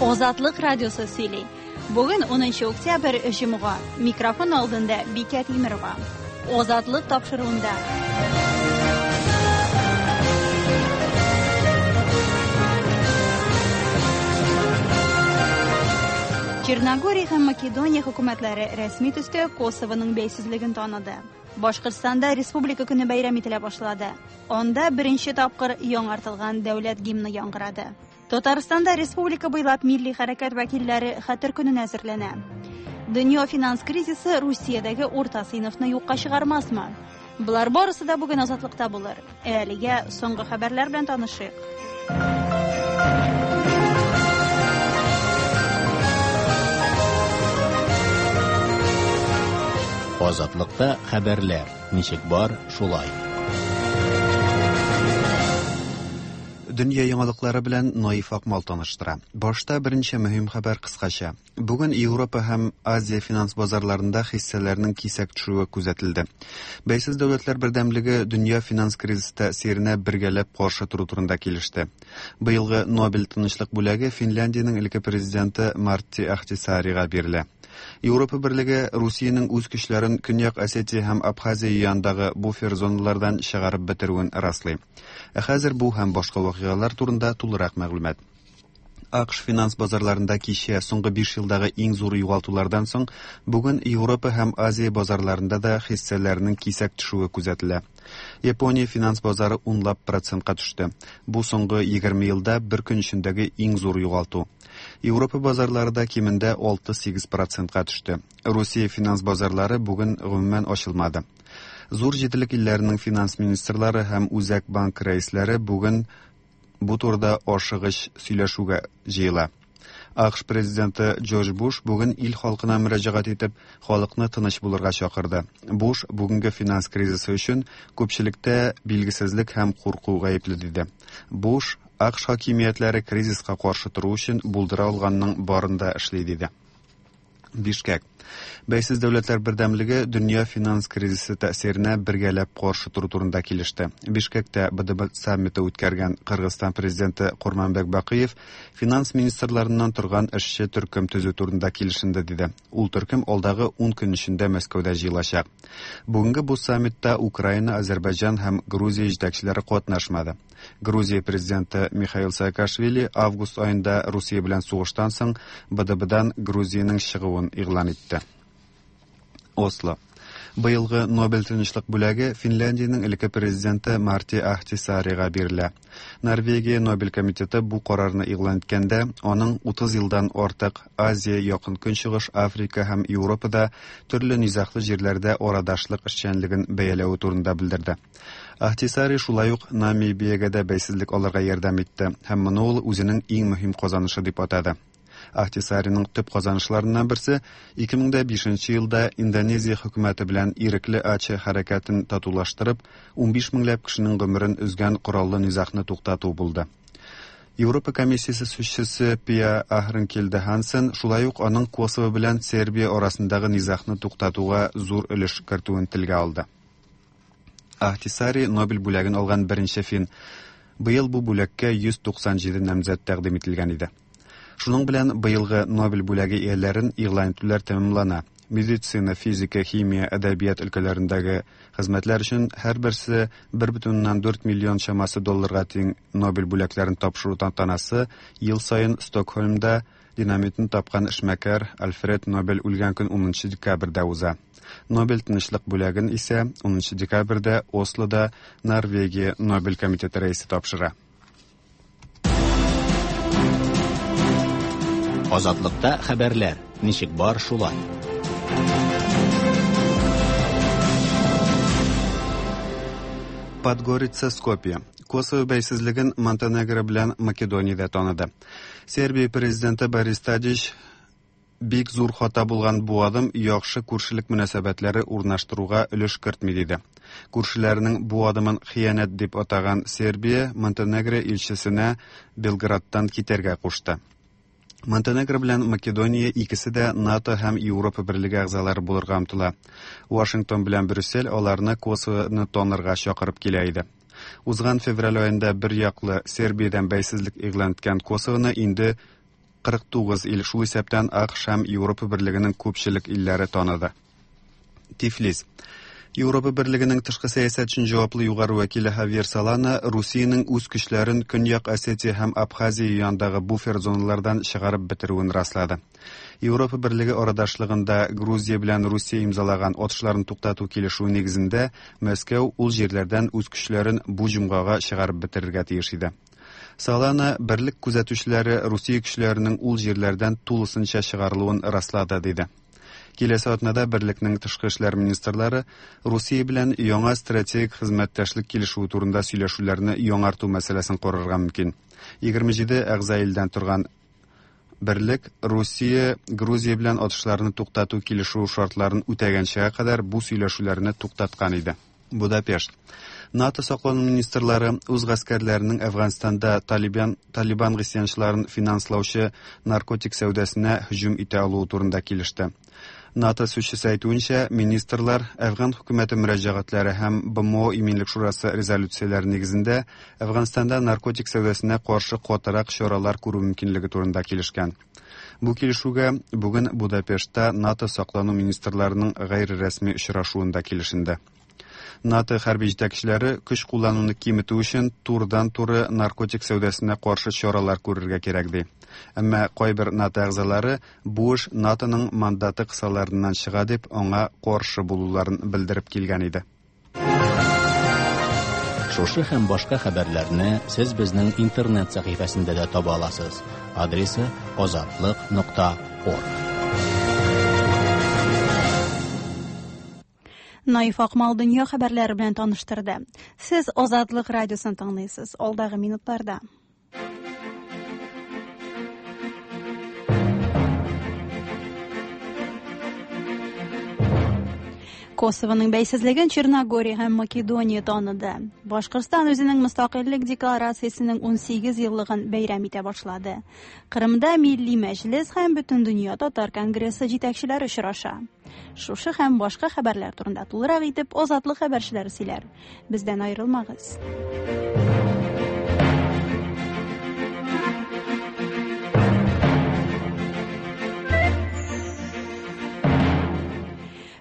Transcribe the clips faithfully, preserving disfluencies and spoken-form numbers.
Азатлык радиосы сөйли. Бүген унынчы октябрь, җомга. Микрофон алдында Бикә Тимерова. Азатлык тапшыруында. Черногория һәм Македония хөкүмәтләре рәсми төстә Косовоның бәйсезлеген таныды. Башкортстанда Республика көне бәйрәм ителә башлады. Анда беренче тапкыр яңартылган дәүләт гимны яңгырады. Татарстанда республика буйлап милли хәрәкәт вәкилләре хәтер көненә әзерләнә. Дөнья финанс кризисы Русиядәге урта сыйныфны юкка чыгармасмы? Болар барысы да бүген Азатлыкта булыр. Әлегә соңгы хәбәрләр белән танышыйк. Азатлыкта хәбәрләр ничек бар, шулай. Дөнья яңалыклары белән Наиф Акмал таныштыра. Башта беренче мөһим хәбәр кыскача. Бүген Европа һәм Азия финанс базарларында хиссәләрнең кисәк төшүе күзәтелде. Бәйсез дәүләтләр бердәмлеге дөнья финанс кризисы тәэсиренә бергәләп каршы тору турында килеште. Быелгы Нобель тынычлык бүләге Финляндиянең элекке президенты Мартти Ахтисаарига бирелә. Европа берлеге Русиянең үз көчләрен Көньяк Осетия һәм Абхазия янындагы буфер зоналардан чыгарып бетерүен раслый. Ә хәзер бу һәм башка вакыйгалар турында тулырак мәгълүмат. АКШ финанс базарларында кичә соңгы биш елдагы иң зур югалтулардан соң бүген Европа һәм Азия базарларында да хиссәләрнең кисәк төшүе күзәтелә. Япония финанс базары унлап процентка төште. Бу соңгы егерме елда бер көн эчендәге иң зур югалту. Европа базарлары да кимендә алты-сигез процентка төште. Русия финанс базарлары бүген гомумән ачылмады. Зур җиделек илләренең финанс министрлары һәм Үзәк банк рәисләре бүген бу турыда ашыгыч сөйләшүгә җыела. АКШ президенты Джордж Буш бүген ил халкына мөрәҗәгать итеп, халыкны тыныч булырга чакырды. Буш бүгенге финанс кризисы өчен күпчелектә билгесезлек һәм курку гаепле диде. Буш АКШ хакимиятләре кризиска каршы тору өчен булдыра алганның барын да эшли диде. Бишкек. Бәйсез дәүләтләр бердәмлеге дөнья финанс кризисы тәэсиренә бергәләп каршы тору турында килеште. Бишкектә БДБ саммиты үткәргән Кыргызстан президенты Курманбек Бакиев финанс министрларыннан торган эшче төркем төзү турында килешенде диде. Ул төркем алдагы ун көн эчендә Мәскәүдә җыелачак. Бүгенге бу саммитта Украина, Азербайҗан һәм Грузия җитәкчеләре катнашмады. Грузия президенты Михаил Саакашвили август аенда Русия белән сугыштан соң БДБдан Грузиянең чыгуын игълан итте. Осло. Быелгы Нобель тынычлык бүләге Финляндиянең элекке президенты Мартти Ахтисаарига бирелә. Норвегия Нобель комитеты бу карарны игълан иткәндә, аның утыз елдан артык Азия, Якын Көнчыгыш, Африка һәм Европада төрле низаглы җирләрдә арадашлык эшчәнлеген бәяләве турында белдерде. Ахтисаари шулай ук Намибиягә дә бәйсезлек алырга ярдәм итте һәм моны ул үзенең иң мөһим казанышы дип атады. Ахтисаариның төп казанышларыннан берсе ике мең дә бишенче елда Индонезия хөкүмәте белән ирекле Аче хәрәкәтен татулаштырып, унбиш меңләп кешенең гомерен өзгән кораллы низагны туктату булды. Европа комиссиясе сүзчесе Пия Ахренкельде Хансен шулай ук аның Косово белән Сербия арасындагы низагны туктатуга зур өлеш кертүен телгә алды. Ахтисаари Нобель бүләген алган беренче фин. Быел бу бүләккә йөз туксан җиде намзәт тәкъдим ителгән иде. Шуның белән быелгы Нобель бүләге ияләрен игълан итүләр тәмамлана. Медицина, физика, химия, әдәбият өлкәләрендәге хезмәтләр өчен һәрберсе бер бөтен уннан дүрт миллион чамасы долларга тиң Нобель бүләкләрен тапшыру тантанасы ел саен Стокһольмда динамитны тапкан эшмәкәр Альфред Нобель үлгән көн унынчы декабрьдә уза. Нобель тынычлык бүләген исә унынчы декабрьдә Ослода Норвегия Нобель комитеты рәисе тапшыра. Азатлыкта хәбәрләр ничек бар, шулай. Подгорица, Скопье. Косово бәйсезлеген Монтенегро белән Македониядә таныды. Сербия президенты Борис Тадич бик зур хата булган бу адым яхшы күршелек мөнәсәбәтләре урнаштыруга өлеш кертми диде. Күршеләренең бу адымын хыянәт дип атаган Сербия Монтенегро илчесенә Белградтан китәргә кушты. Монтенегро белән Македония икесе дә НАТО һәм Европа берлеге әгъзалары булырга омтыла. Вашингтон белән Брюссель аларны Косовоны танырга чакырып килә иде. Узган февраль аенда бер яклы Сербиядән бәйсезлек игълан иткән Косовоны инде кырык тугыз ил, шул исәптән АКШ һәм Европа Берлегенең күпчелек илләре таныды. Тифлис. Европа Берлегенең тышкы сәясәт өчен җаваплы югары вәкиле Хавьер Солана Русиянең үз көчләрен Көньяк Осетия һәм Абхазия янындагы буфер зоналардан чыгарып бетерүен раслады. Европа Берлеге арадашлыгында Грузия белән Русия имзалаган атышларын туктату килешүе нигезендә Мәскәү ул җирләрдән үз көчләрен бу җомгага чыгарып бетерергә тиеш иде. Солана берлек күзәтүчеләре Русия көчләренең ул җирләрдән тулысынча чыгарылуын раслады, диде. Киләсе атнада берлекнең тышкы эшләр министрлары Русия белән яңа стратегик хезмәттәшлек килешүе турында сөйләшүләрне яңарту мәсьәләсен карарга мөмкин. Егерме җиде әгъза илдән торган берлек Русия Грузия белән атышларны туктату килешүе шартларын үтәгәнчегә кадәр бу сөйләшүләрне туктаткан иде. Будапешт. НАТО саклану министрлары үз гаскәрләренең Әфганстанда Талибан, Талибан гыйсьянчыларын финанслаучы наркотик сәүдәсенә һөҗүм итә алуы турында килеште. НАТО сүзчесе әйтүенчә, министрлар Әфган хөкүмәте мөрәҗәгатьләре һәм Б М О Иминлек Шурасы резолюцияләре нигезендә Әфганстанда наркотик сәүдәсенә каршы катырак чаралар күрү мөмкинлеге турында килешкән. Бу килешүгә бүген Будапештта НАТО саклану министрларының гайре рәсми очрашуында килешенде. НАТО хәрби җитәкчеләре көч куллануны киметү өчен турыдан-туры наркотик сәүдәсенә каршы чаралар күрергә кирәк ди. Әмма кайбер НАТО әгъзалары бу эш НАТОның мандаты кысаларыннан чыга дип аңа каршы булуларын белдереп килгән иде. Шушы һәм башка хәбәрләрне сез безнең интернет сәхифәсендә дә таба аласыз. Адресы азатлык нокта орг. Наиф Акмал дөнья хәбәрләре белән таныштырды. Сез Азатлык радиосын тыңлыйсыз. Алдагы минутларда. Косованың бәйсезлеген Черногория һәм Македония таныды. Башкортстан үзенең мөстәкыйльлек декларациясенең ун сигез еллыгын бәйрәм итә башлады. Кырымда Милли Мәҗлес һәм Бөтендөнья Татар Конгрессы җитәкчеләре очраша. Шушы һәм башка хәбәрләр турында тулырак итеп Азатлык хәбәрчеләре сөйләр. Бездән аерылмагыз.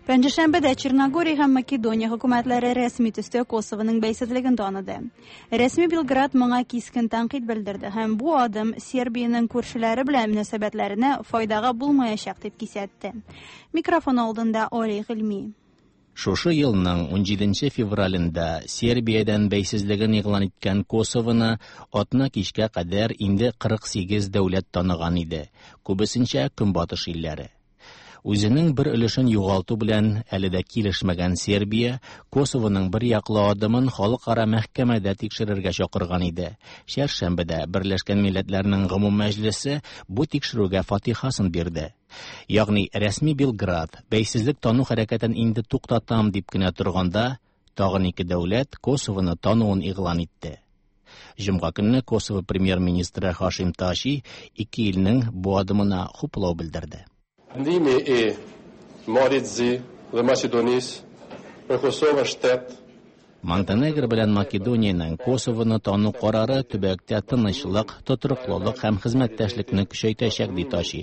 Пәнҗешәмбедә Черногория һәм Македония хөкүмәтләре рәсми төстә Косованың бәйсезлеген таныды. Рәсми Белград моңа кискен тәнкыйть белдерде һәм бу адым Сербиянең күршеләре белән мөнәсәбәтләренә файдага булмаячак дип кисәтте. Микрофон алдында Али Гыйльми. Шушы елның ун җиденче февралендә Сербиядән бәйсезлеген игълан иткән Косованы атна кичкә кадәр инде кырык сигез дәүләт таныган иде, күбесенчә Көнбатыш илләре. Үзенең бер өлешен югалту белән әле дә килешмәгән Сербия Косованың бер яклы адымын халыкара мәхкәмәдә тикшерергә чакырган иде. Чәршәмбедә Берләшкән Милләтләрнең Гомум Мәҗлесе бу тикшерүгә фатихасын бирде. Ягъни рәсми Белград бәйсезлек тану хәрәкәтен инде туктатам дип кенә торганда, тагын ике дәүләт Косованы тануын игълан итте. Җомга көнне Косово премьер-министры Хашим Таши ике илнең бу адымына хуплау белдерде. Ndimi i Malit Zi dhe Maqedonisë për Kosovën shtet. Монтенегро белән Македониянең Косовоны тану карары төбәктә тынычлык, тотрыклылык һәм хезмәттәшлекне көчәйтәчәк, ди Таши.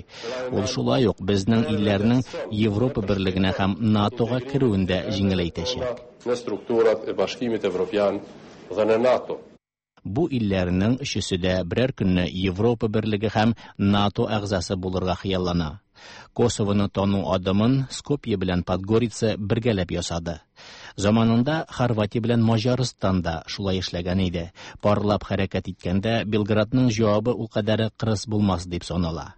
Ул шулай ук безнең илләрнең Европа берлегенә һәм НАТОга керүен дә җиңеләйтәчәк. Në strukturat e Bashkimit Evropian dhe në NATO. Бу илләрнең өчесе дә берәр көнне Европа берлеге һәм НАТО әгъзасы булырга хыяллана. Косовоны тану адымын Скопье белән Подгорица бергәләп ясады. Заманында Хорватия белән Маҗарстан да шулай эшләгән иде. Парлап хәрәкәт иткәндә Белградның җавабы ул кадәр кырыс булмас дип санала.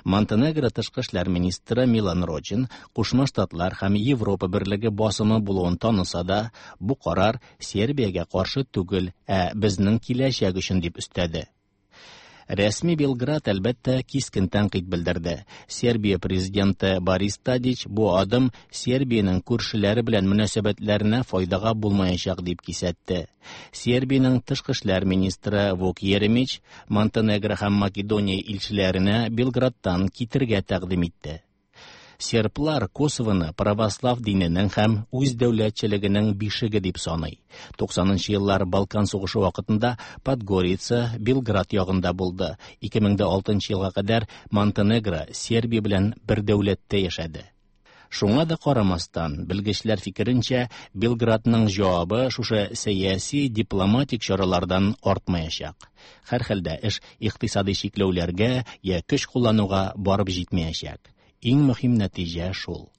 Монтенегро тышкы эшләр министры Милан Рочин Кушма Штатлар һәм Европа берлеге басымы булуын таныса да, бу карар Сербиягә каршы түгел, ә безнең киләчәк өчен дип өстәде. Рәсми Белград әлбәттә кискен тәнкыйть белдерде. Сербия президенты Борис Тадич бу адым Сербиянең күршеләре белән мөнәсәбәтләренә файдага булмаячак дип кисәтте. Сербиянең тышкы эшләр министры Вук Еремич Монтенегро һәм Македония илчеләренә Белградтан китергә тәкъдим итте. Серблар Косовоны православ диненең һәм үз дәүләтчелегенең бишеге дип саный. туксанынчы еллар Балкан сугышы вакытында Подгорица Белград ягында булды. ике мең дә алтынчы елга кадәр Монтенегро Сербия белән бер дәүләттә яшәде. Шуңа да карамастан, белгечләр фикеренчә, Белградның җавабы шушы сәяси дипломатик чаралардан артмаячак. Һәрхәлдә эш икътисади чикләүләргә я көч куллануга барып җитмәячәк. Иң мөһим нәтиҗә шул.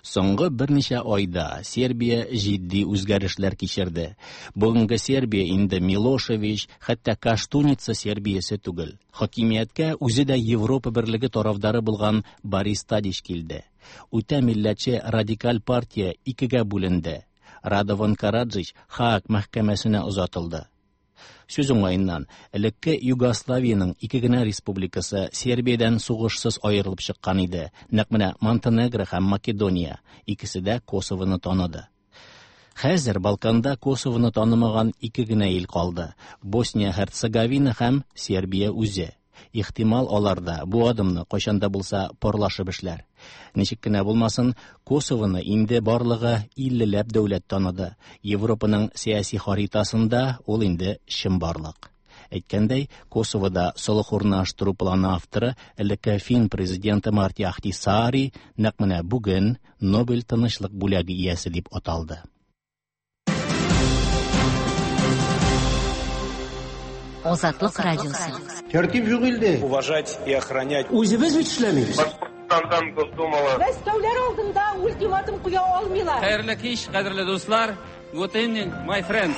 Соңгы берничә айда Сербия җитди үзгәрешләр кичерде. Бүгенге Сербия инде Милошевич, хәтта Каштуница Сербиясе түгел. Хакимияткә үзе дә Европа берлеге тарафдары булган Борис Тадич килде. Үтә милләтче радикаль партия икегә бүленде. Радован Караджич Хааг мәхкәмәсенә озатылды. Сүз уңаеннан, элекке Югославиянең ике генә республикасы Сербиядән сугышсыз аерылып чыккан иде. Нәкъ менә Монтенегро һәм Македония икесе дә Косовоны таныды. Хәзер Балканда Косовоны танымаган ике генә ил калды: Босния Һерцеговина һәм Сербия үзе. Ихтимал, алар да бу адымны кайчан да булса парлашып эшләр. Ничек кенә булмасын, Косовоны инде барлыгы иллеләп дәүләт таныды. Европаның сәяси харитасында ул инде чынбарлык. Әйткәндәй, Косовода солых урнаштыру планы авторы элекке фин президенты Марти Ахтисаари нәкъ менә бүген Нобель тынычлык бүләге иясе дип аталды. Азатлык радиосы. Тәртип юк илдә. Уважать и охранять. Үзебез бит эшләмибез. Башкортстандан Госдумала. Мәскәүләр алдында ультиматум куя алмыйлар. Хәерле кич, кадерле дуслар. Good evening, my friends.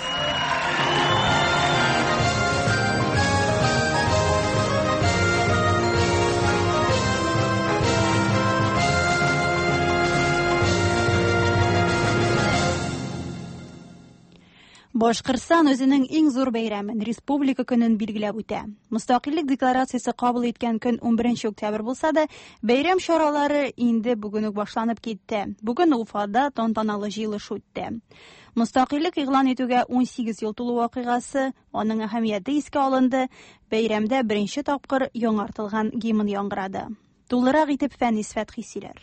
Башкортстан үзенең иң зур бәйрәмен Республика көнен билгеләп үтә. Мөстәкыйльлек декларациясе кабул иткән көн унберенче октябрь булса да, бәйрәм чаралары инде бүген үк башланып китте. Бүген Уфада тантаналы җыелыш үтте. Мөстәкыйльлек игълан итүгә ун сигез ел тулу вакыйгасы, аның әһәмияте искә алынды. Бәйрәмдә беренче тапкыр яңартылган гимн яңгырады. Тулырак итеп Фәнис Фәтхи сөйләр.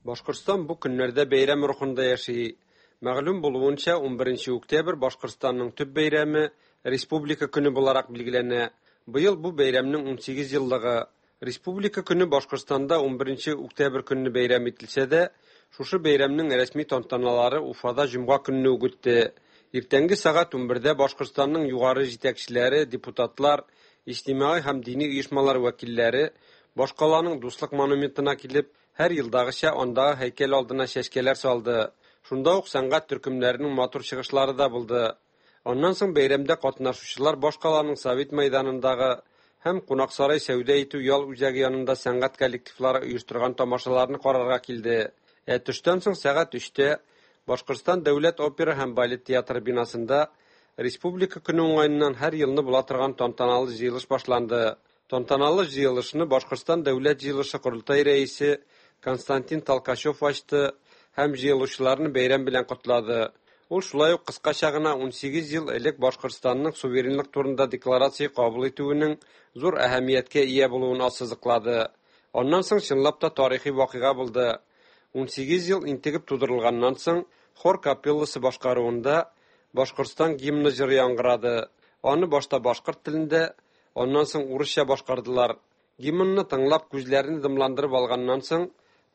Башкортстан бу көннәрдә бәйрәм рухында яши. Мәгълүм булуынча, унберенче октябрь Башкортстанның төп бәйрәме Республика көне буларак билгеләнә. Быел бу бәйрәмнең ун сигез еллыгы. Республика көне Башкортстанда унберенче октябрь көнне бәйрәм ителсә дә, шушы бәйрәмнең рәсми тантаналары Уфада җомга көнне үк үтте. Иртәнге сәгать унбердә Башкортстанның югары җитәкчеләре, депутатлар, иҗтимагый һәм дини оешмалар вәкилләре башкаланың Дуслык монументына килеп, һәр елдагыча андагы һәйкәл алдына чәчкәләр салды. Шунда ук сәнгать төркемнәренең матур чыгышлары да булды. Аннан соң бәйрәмдә катнашучылар башкаланың Совет мәйданындагы һәм Кунаксарай сәүдә итү ял үзәге янында сәнгать коллективлары оештырган тамашаларны карарга килде. Ә төштән соң сәгать өчтә Башкортстан дәүләт опера һәм балет театры бинасында Республика көне уңаеннан һәр елны була торган тантаналы җыелыш башланды. Тантаналы җыелышны Башкортстан дәүләт җыелышы корылтай рәисе Константин Толкачев ачты һәм җыелучыларны бәйрәм белән котлады. Ул шулай ук кыскача гына ун сигез ел элек Башкортстанның суверенлык турында декларация кабул итүенең зур әһәмияткә ия булуын ассызыклады. Аннан соң чынлап та тарихи вакыйга булды. ун сигез ел интегеп тудырылганнан соң хор капелласы башкаруында Башкортстан гимны җыры яңгырады. Аны башта башкорт телендә, аннан соң урысча башкардылар. Гимнны тыңлап күзләрен дымландырып алганнан соң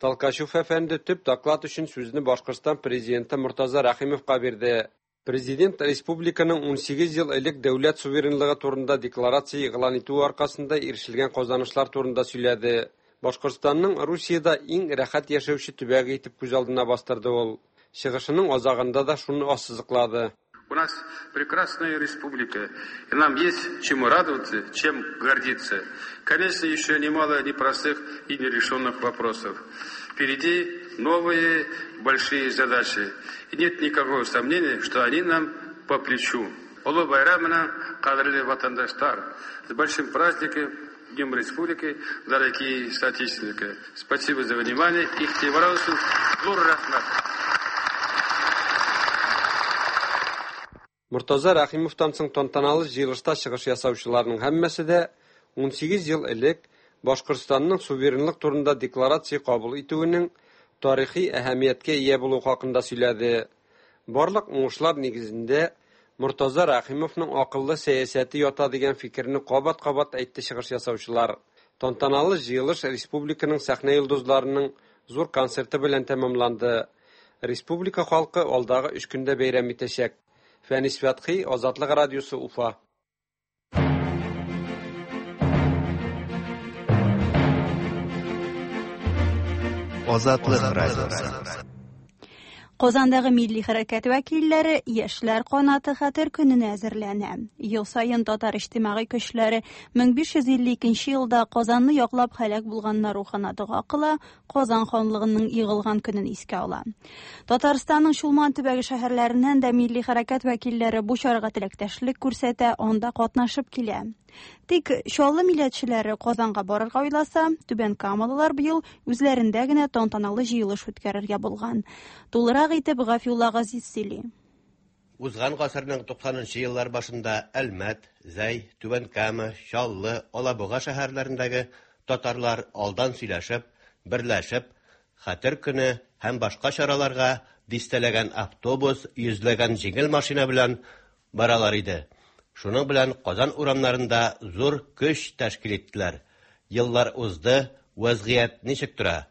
Толкачев әфәнде төп доклад өчен сүзне Башкортстан президенты Муртаза Рәхимовка бирде. Президент республиканың ун сигез ел элек дәүләт суверенлыгы турында декларация игълан итүе аркасында ирешелгән казанышлар турында сөйләде. Башкортстанның Русиядә иң рәхәт яшәүче төбәге итеп күз алдына бастырды ул. Чыгышының азагында да шуны ассызыклады. У нас прекрасная республика, и нам есть чему радоваться, чем гордиться. Конечно, еще немало непростых и нерешенных вопросов. Впереди новые большие задачи. И нет никакого сомнения, что они нам по плечу. Олы байрамына, кадерле ватандаштар, с большим праздником, Днем Республики, дорогие соотечественники. Спасибо за внимание. Игътибар өчен зур рәхмәт. Муртаза Рәхимовтан соң тантаналы җыелышта чыгыш ясаучыларның һәммәсе дә ун сигез ел элек Башкортстанның суверенлык турында декларация кабул итүенең тарихи әһәмияткә ия булуы хакында сөйләде. Барлык уңышлар нигезендә Мортаза Рәхимовның акыллы сәясәте ята дигән фикерне кабат-кабат әйтте чыгыш ясаучылар. Тантаналы җыелыш республиканың сәхнә йолдызларының зур концерты белән тәмамланды. Республика халкы алдагы өч көндә бәйрәм итәчәк. Фәнис Фәтхи, Азатлык радиосы, Уфа. Азатлык радиосы. Казандагы милли хәрәкәт вәкилләре Яшьләр канаты хәтер көненә әзерләнә. Ел саен татар иҗтимагый көчләре мең биш йөз илле икенче елда Казанны яклап һәлак булганнар рухына дога кыла, Казан ханлыгының егылган көнен искә ала. Татарстанның Чулман төбәге шәһәрләреннән дә милли хәрәкәт вәкилләре бу чарага теләктәшлек күрсәтә, анда катнашып килә. Тик Чаллы милләтчеләре Казанга барырга уйласа, Түбән Камалылар быел үзләрендә генә тантаналы җыелыш үткәрергә булган. Тулырак итеп Гафиулла Газиз сөйли. Узган гасырның туксанынчы еллар башында Әлмәт, Зәй, Түбән Кама, Чаллы, Алабуга шәһәрләрендәге татарлар алдан сөйләшеп, берләшеп, Хәтер көне һәм башка чараларга дистәләгән автобус, йөзләгән җиңел машина белән баралар иде. Шуның белән Казан урамнарында зур көч тәшкил иттеләр. Еллар узды, вазгыять ничек тора?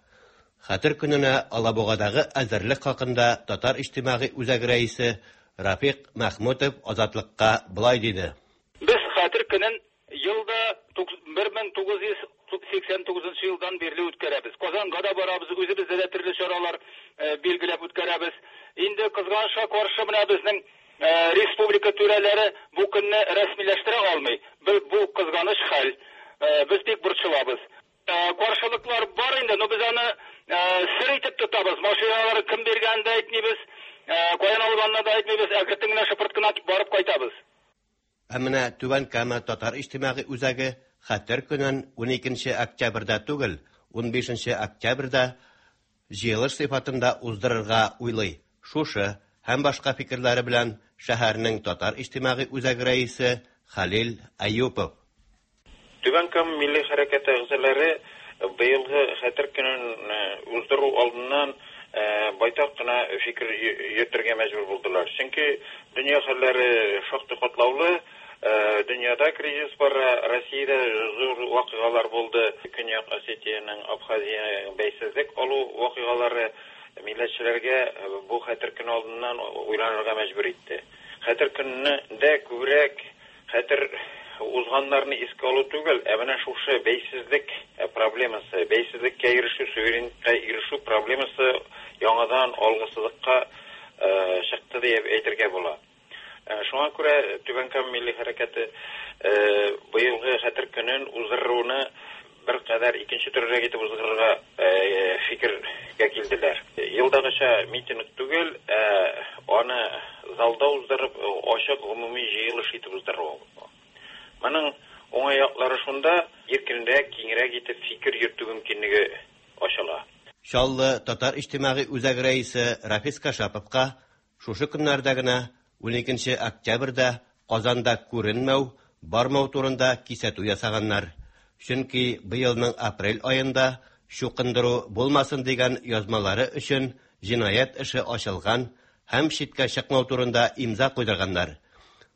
Хәтер көненә Алабугадагы әзерлек хакында Татар иҗтимагый үзәге рәисе Рафик Махмутов Азатлыкка былай диде. Без Хәтер көнен елда бер мең тугыз йөз сиксән тугызынчы елдан бирле үткәрәбез. Казанга да барабыз, үзебездә дә төрле чаралар билгеләп үткәрәбез. Инде кызганычка каршы менә безнең республика түрәләре бу көнне рәсмиләштерә алмый. Бу кызганыч хәл. Без бик борчылабыз. Каршылыклар бар инде, но без аны сер итеп тотабыз. Машиналары кем биргәнен дә әйтмибез, каян алганын да әйтмибез, әкрен генә шыпырт кына барып кайтабыз. Ә менә Түбән Кама татар иҗтимагый үзәге Хәтер көнен уникенче октябрьдә түгел, унбишенче октябрьдә җыелыш сыйфатында уздырырга уйлый. Шушы һәм башка фикерләре белән шәһәрнең татар иҗтимагый үзәге рәисе Хәлил Аюпов. Түбән Кама милли хәрәкәте әгъзалары быелгы Хәтер көнен уздыру алдыннан байтак кына фикер йөртергә мәҗбүр булдылар. Чөнки дөнья хәлләре шактый катлаулы, дөньяда кризис бара, Россиядә зур вакыйгалар булды. Көньяк Осетиянең, Абхазиянең бәйсезлек алу вакыйгалары милләтчеләргә бу Хәтер көне алдыннан уйланырга мәҗбүр итте. Хәтер көнендә күбрәк хәтер узганнарны искә алу түгел, ә менә шушы бәйсезлек проблемасы, бәйсезлеккә ирешү, суверенлыкка ирешү проблемасы яңадан алгысызлыкка чыкты дип әйтергә була. Шуңа күрә Түбән Кама милли хәрәкәте быелгы Хәтер көнен уздыруны бер кадәр икенче төрлерәк итеп уздырырга фикергә килделәр. Елдагыча митинг түгел, ә аны залда уздырып, ачык гомуми җыелыш итеп уздыру. Моның уңай яклары шунда, иркенрәк, киңрәк итеп фикер йөртү мөмкинлеге ачыла. Чаллы татар иҗтимагый үзәге рәисе Рафис Кашаповка шушы көннәрдә генә уникенче октябрьдә Казанда күренмәү, бармау турында кисәтү ясаганнар. Чөнки быелның апрель аенда чукындыру булмасын дигән язмалары өчен җинаять эше ачылган һәм читкә чыкмау турында имза куйдырганнар.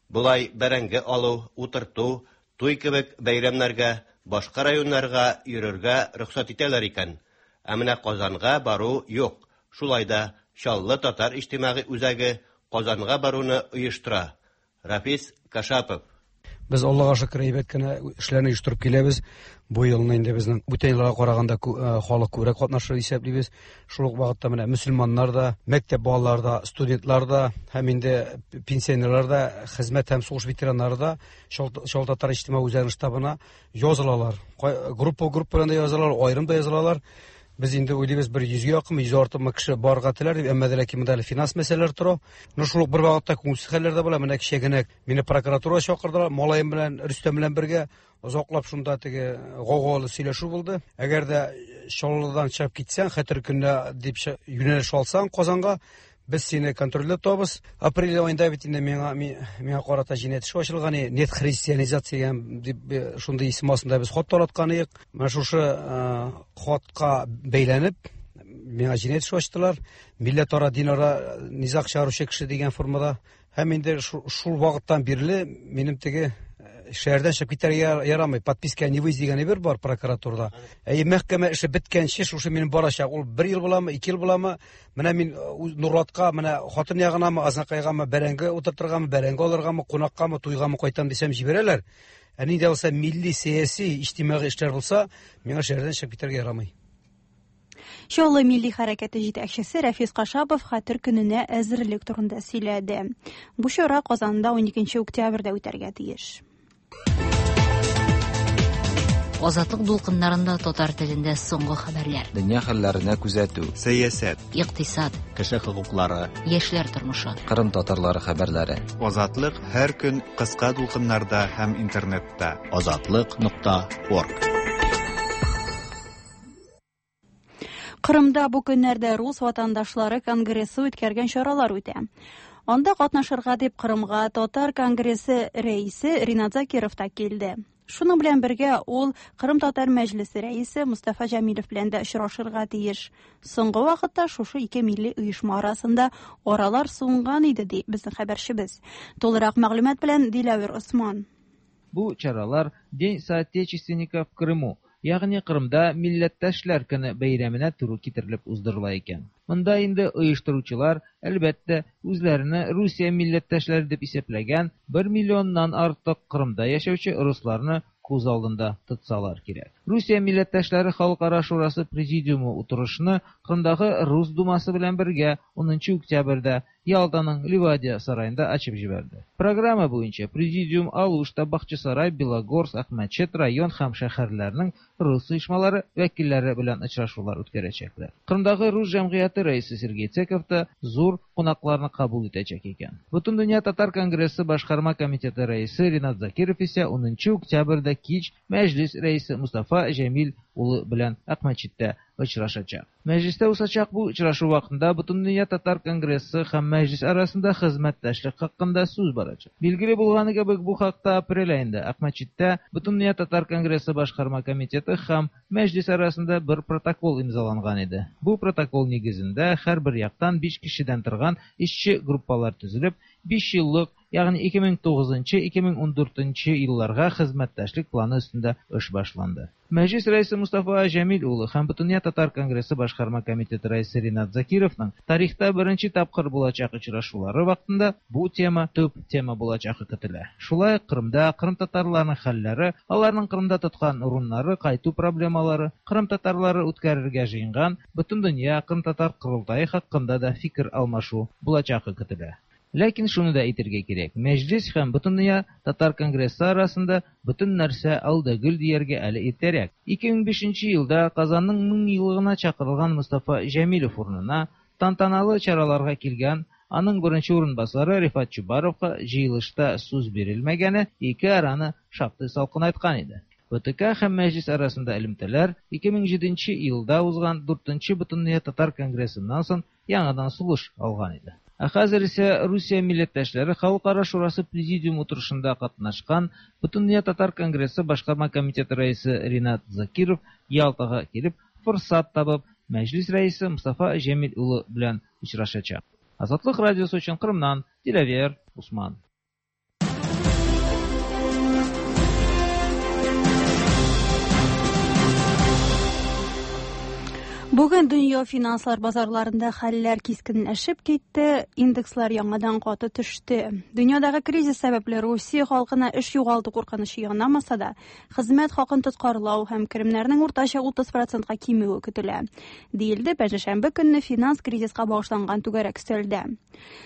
Булай бәрәңге алу, утырту, туй кебек бәйрәмнәргә, башка районнарга йөрергә рөхсәт итәләр икән. Ә менә Казанга бару юк. Шулай да Чаллы татар иҗтимагый үзәге Казанга баруны оештыра. Рафис Кашапов. Без Аллага шөкер әйбәт кенә эшләрне оештырып киләбез. Бу елны инде безнең бүтән елларга караганда халык күбрәк катнашыр исәплибез. Шул ук вакытта менә мөселманнар да, мәктәп балалары да, студентлар да һәм инде пенсионерлар да, хезмәт һәм сугыш ветераннары да Чаллы татар иҗтимагый үзәгенең штабына язылалар. Группа группа белән дә язылалар, аерым да язылалар. Без инде уйлыйбыз бер йөзгә якын, йөз артык кеше барырга теләр дип, әмма ләкин монда әле финанс мәсьәләләре тора. Но шул ук бер вакытта күңелсез хәлләр дә була. Менә кичә генә мине прокуратура чакырдылар, малаем белән, Рөстәм белән бергә озаклап шунда теге гаугалы сөйләшү булды. Әгәр дә Чаллыдан чыгып китсәң, Хәтер көненә дип юнәлеш алсаң Казанга, Без сине контрольдә тотабыз. Апрель аенда бит инде миңа миңа карата җинаять эше ачылган, нет христианизация дип шундый исем астында без хат тараткан идек. Менә шушы хатка бәйләнеп миңа җинаять эше ачтылар. Милләтара, динара низаг чыгаручы кеше дигән формада. Һәм инде шул вакыттан бирле минем теге шәһәрдән чыгып китәргә ярамый. Подписка не выезд дигән әйбер бар прокуратурада. Әй, мәхкәмә эше беткәнче шушы минем барачак. Ул бер ел буламы, ике ел буламы? Менә мин Нурлатка, менә хатын ягынамы, Азнакайгамы, бәрәңге утыртыргамы, бәрәңге алыргамы, кунаккамы, туйгамы кайтам дисәм җибәрәләр. Ә нинди булса милли, сәяси, иҗтимагый эшләр булса, миңа шәһәрдән чыгып китәргә ярамый. Чаллы милли хәрәкәте җитәкчесе Рафис Кашапов Хәтер көненә әзерлек турында сөйләде. Бу чара Казанда уникенче октябрьдә үтәргә тиеш. Азатлык дулкыннарында татар телендә соңгы хәбәрләр. Дөнья хәлләренә күзәтү, сәясәт, икътисад, кеше хокуклары, яшьләр тормышы, Кырым татарлары хәбәрләре. Азатлык һәр көн кыска дулкыннарда һәм интернетта. Азатлык нокта орг. Кырымда бу көннәрдә Рус ватандашлары конгрессы үткәргән чаралар үтә. Анда катнашырга дип Кырымга Татар конгрессы рәисе Ринат Закиров та килде. Шуның белән бергә ул Кырым татар мәҗлесе рәисе Мустафа Җәмилев белән дә очрашырга тиеш. Соңгы вакытта шушы ике милли оешма арасында аралар суынган иде, ди безнең хәбәрчебез. Тулырак мәгълүмат белән Диләвер Осман. Бу чаралар День соотечественников в Крыму, ягъни Кырымда милләттәшләр көне бәйрәменә туры китерелеп уздырыла икән. Монда инде оештыручылар, әлбәттә, үзләренә Русия милләттәшләре дип исәпләгән бер миллионнан артык Кырымда яшәүче русларны күз алдында тотсалар кирәк. Русия милләттәшләре Халыкара шурасы президиумы утырышны Кырымдагы Рус думасы белән бергә унынчы октябрьдә Ялтаның Ливадия сараенда ачып җибәрде. Программа буенча президиум Алушта, Бахчисарай, Белогорск, Акмәчет район һәм шәһәрләрнең рус оешмалары вәкилләре белән очрашулар үткәрәчәкләр. Кырымдагы рус җәмгыяте рәисе Сергей Цеков та зур кунакларны кабул итәчәк икән. Бөтендөнья татар конгрессы башкарма комитеты рәисе Ринат Закиров исә унынчы октябрьдә кич мәҗлис рәисе Мустафа Җәмил улы белән Акмәчеттә очрашачак. Мәҗлистә узачак бу очрашу вакытында Бөтендөнья татар конгрессы һәм мәҗлис арасында хезмәттәшлек хакында сүз барачак. Билгеле булганы кебек, бу хакта апрель аенда Акмәчеттә Бөтендөнья татар конгрессы башкарма комитеты һәм мәҗлис арасында бер протокол имзаланган иде. Бу протокол нигезендә һәрбер яктан биш кешедән торган эшче группалар төзелеп, биш еллык, ягъни ике мең тугызынчы ике мең ундүртенче елларга хезмәттәшлек планы өстендә эш башланды. Мәҗлис рәисе Мустафа Җәмил улы һәм Бөтендөнья татар конгрессы башкарма комитеты рәисе Ринат Закировның тарихта беренче тапкыр булачак очрашулары вакытында бу тема төп тема булачагы көтелә. Шулай Кырымда Кырым татарларының хәлләре, аларның Кырымда тоткан урыннары, кайту проблемалары, Кырым татарлары үткәрергә җыенган Бөтендөнья Кырым татар корылтае хакында да фикер алмашу булачагы көтелә. Ләкин шуны да әйтергә кирәк, мәҗлис һәм Бөтендөнья татар конгрессы арасында бөтен нәрсә алда гөл дияргә әле иртәрәк. ике мең бишенче елда Казанның мең еллыгына чакырылган Мустафа Җәмилев урынына тантаналы чараларга килгән аның беренче урынбасары Рифат Чубаровка җыелышта сүз бирелмәгәне ике араны шактый салкынайткан иде. БТК һәм мәҗлис арасында элемтәләр ике мең җиденче елда узган дүртенче Бөтендөнья татар конгрессыннан соң яңадан сулыш алган иде. Ә хәзер исә Русия милләттәшләре Халыкара шурасы президиум утырышында катнашкан Бөтендөнья татар конгрессы башкарма комитеты рәисе Ринат Закиров Ялтага килеп, форсат табып, мәҗлис рәисе Мустафа Җәмил улы белән очрашачак. Азатлык радиосы өчен Кырымнан Диләвер Усман. Бүген дөнья финанслар базарларында хәлләр кискенләшеп китте, индекслар яңадан каты төште. Дөньядагы кризис сәбәпле Русия халкына эш югалту куркынычы янамаса да, хезмәт хакын тоткарлау һәм керемнәрнең уртача утыз процентка кимүе көтелә. Диелде пәнҗешәмбе көнне финанс кризиска багышланган түгәрәк өстәлдә.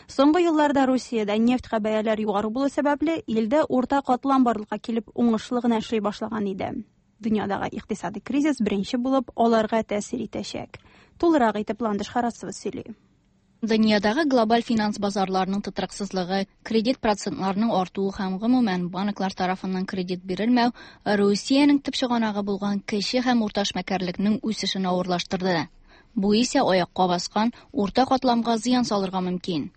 Соңгы елларда Русиядә нефтькә бәяләр югары булу сәбәпле, илдә урта катлам барлыкка килеп уңышлы гына эшли башлаган иде. Дөньядагы икътисади кризис беренче булып аларга тәэсир итәчәк. Тулырак итеп Ландыш Харасова сөйли. Дөньядагы глобаль финанс базарларының тотрыксызлыгы, кредит процентларының артуы һәм гомумән банклар тарафыннан кредит бирелмәү Русиянең төп чыганагы булган кече һәм урта эшмәкәрлекнең үсешен авырлаштырды. Бу исә аякка баскан урта катламга зыян салырга мөмкин.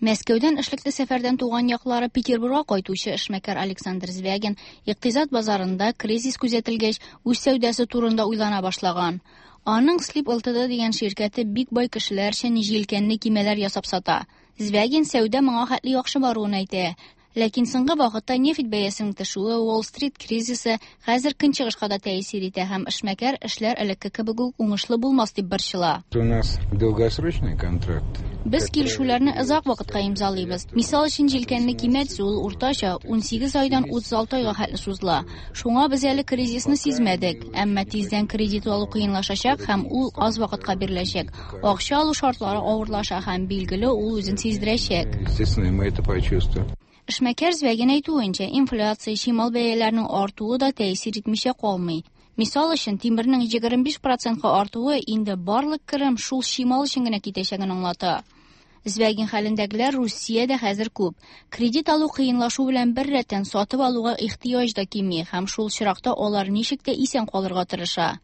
Мәскәүдән эшлекле сәфәрдән туган яклары Петербургка кайтучы эшмәкәр Александр Звягин икътисад базарында кризис күзәтелгәч, үз сәүдәсе турында уйлана башлаган. Аның Слип Л Т Д дигән ширкәте бик бай кешеләр өчен җилкәнле кимәләр ясап сата. Звягин сәүдә моңа хәтле яхшы баруын әйтә. Ләкин соңгы вакытта нефть бәясенең төшүе, Уолл-стрит кризисы хәзер көнчыгышка да тәэсир итә һәм эшмәкәр эшләр элекке кебек үк уңышлы булмас дип борчыла. У нас долгосрочный контракт. Без килешүләрне озак вакытка имзалыйбыз. Мисал өчен, җилкәнле кимә төзү ул уртача унсигез айдан утыз алты айга хәтле сузыла. Шуңа без әле кризисны сизмәдек, әмма тиздән кредит алу кыенлашачак һәм ул аз вакытка биреләчәк. Акча алу шартлары авырлаша һәм, билгеле, ул үзен сиздерәчәк. Естественно, мы это почувствуем. Эшмәкәр Звягин әйтүенчә, инфляция, чимал бәяләренең артуы да тәэсир итмичә калмый. Мисал өчен, тимернең егерме биш процентка артуы инде барлык керем шул чимал өчен генә китәчәген аңлата. Звягин хәлендәгеләр Русиядә хәзер күп. Кредит алу кыенлашу белән бер рәттән сатып алуга ихтыяҗ да кими һәм шул очракта алар ничек тә исән калырга тырыша.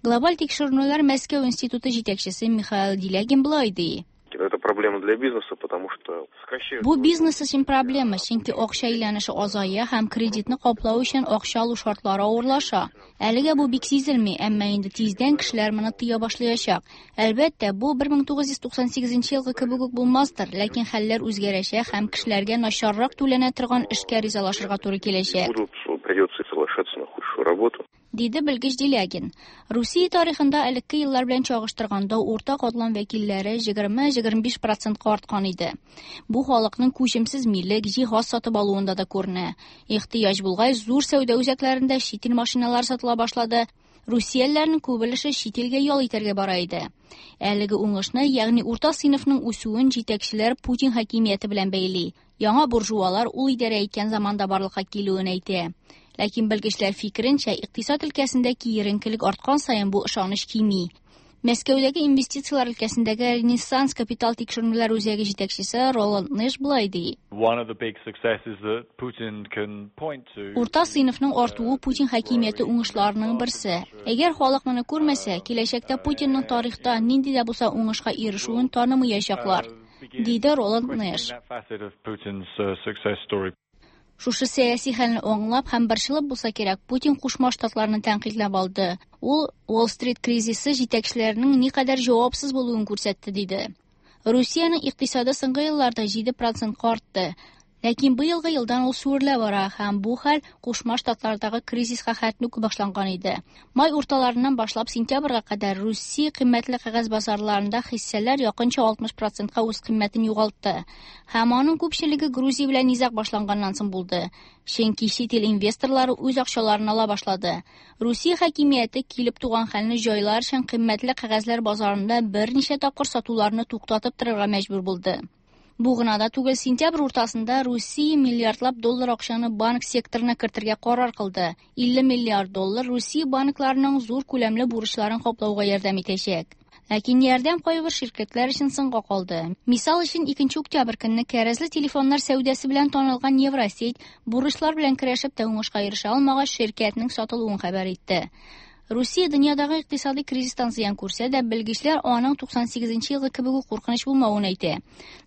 Глобаль тикшеренүләр Мәскәү институты җитәкчесе Михаил Делягин болай ди. Это проблема для бизнеса, потому что сокращают. Бу бизнес өчен проблема, чөнки акча әйләнеше азая һәм кредитны каплау өчен акча алу шартлары авырлаша. Әлегә бу бик сизелми, әмма инде тиздән кешеләр моны тоя башлаячак. Әлбәттә, бу мең тугыз йөз туксан сигезенче елгы кебек үк булмастыр, ләкин хәлләр үзгәрәчәк һәм кешеләргә начаррак түләнә торган эшкә ризалашырга туры киләчәк. Будут, придется соглашаться на худшую работу. Диде белгеч Делягин. Русия тарихында элекке еллар белән чагыштырганда урта катлам вәкилләре егерме-егерме биш процентка арткан иде. Бу халыкның күчемсез милек, җиһаз сатып алуында да күренә. Ихтыяҗ булгач, зур сәүдә үзәкләрендә чит ил машиналары сатыла башлады. Русиялеләрнең күп өлеше чит илгә ял итәргә бара иде. Әлеге уңышны, ягъни урта сыйныфның үсүен җитәкчеләр Путин хакимияте белән бәйли. Яңа буржуалар ул идарә иткән заманда барлыкка килүен әйтә. Ләкин белгечләр фикеренчә, икътисад өлкәсендә киеренкелек арткан саен бу ышаныч кими. Мәскәүдәге инвестицияләр өлкәсендәге Ренессанс капитал тикшеренүләр үзәге җитәкчесе Роланд Нэш болай ди. One of the big successes that Putin can point to Урта сыйныфның артуы Путин хакимияте уңышларының берсе. Әгәр халык моны күрмәсә, киләчәктә Путинның тарихта нинди дә булса уңышка ирешүен танымаячаклар, диде Роланд Нэш. That facet of Putin's uh, success story. Шушы сәяси хәлне аңлап һәм борчылып булса кирәк, Путин Кушма Штатларны тәнкыйтьләп алды. Ул Уолл-стрит кризисы җитәкчеләренең никадәр җавапсыз булуын күрсәтте, диде. Русиянең икътисады соңгы елларда җиде процентка артты. Ләкин быелгы елдан ул сүрелә бара һәм бу хәл Кушма Штатлардагы кризиска хәтле үк башланган иде. Май урталарыннан башлап сентябрьгә кадәр Русия кыйммәтле кәгазь базарларында хиссәләр якынча алтмыш процентка үз кыйммәтен югалтты. Һәм аның күпчелеге Грузия белән низаг башланганнан соң булды. Чөнки чит ил инвесторлары үз акчаларын ала башлады. Русия хакимияте килеп туган хәлне җайлар өчен кыйммәтле кәгазьләр базарында берничә тапкыр сатуларны туктатып торырга мәҗбүр булды. Бу гына да түгел, сентябрь уртасында Русия миллиардлап доллар акчаны банк секторына кертергә карар кылды. илле миллиард доллар Русия банкларының зур күләмле бурычларын каплауга ярдәм итәчәк. Ләкин ярдәм кайбер ширкәтләр өчен соңга калды. Мисал өчен, икенче октябрь көнне кәрәзле телефоннар сәүдәсе белән танылган Евросеть бурычлар белән көрәшеп тә уңышка ирешә алмагач, ширкәтнең сатылуын хәбәр итте. Русия дөньядагы икътисади кризистан зыян күрсә дә, белгечләр аның туксан сигезенче елгы кебек үк куркыныч булмавын әйтә.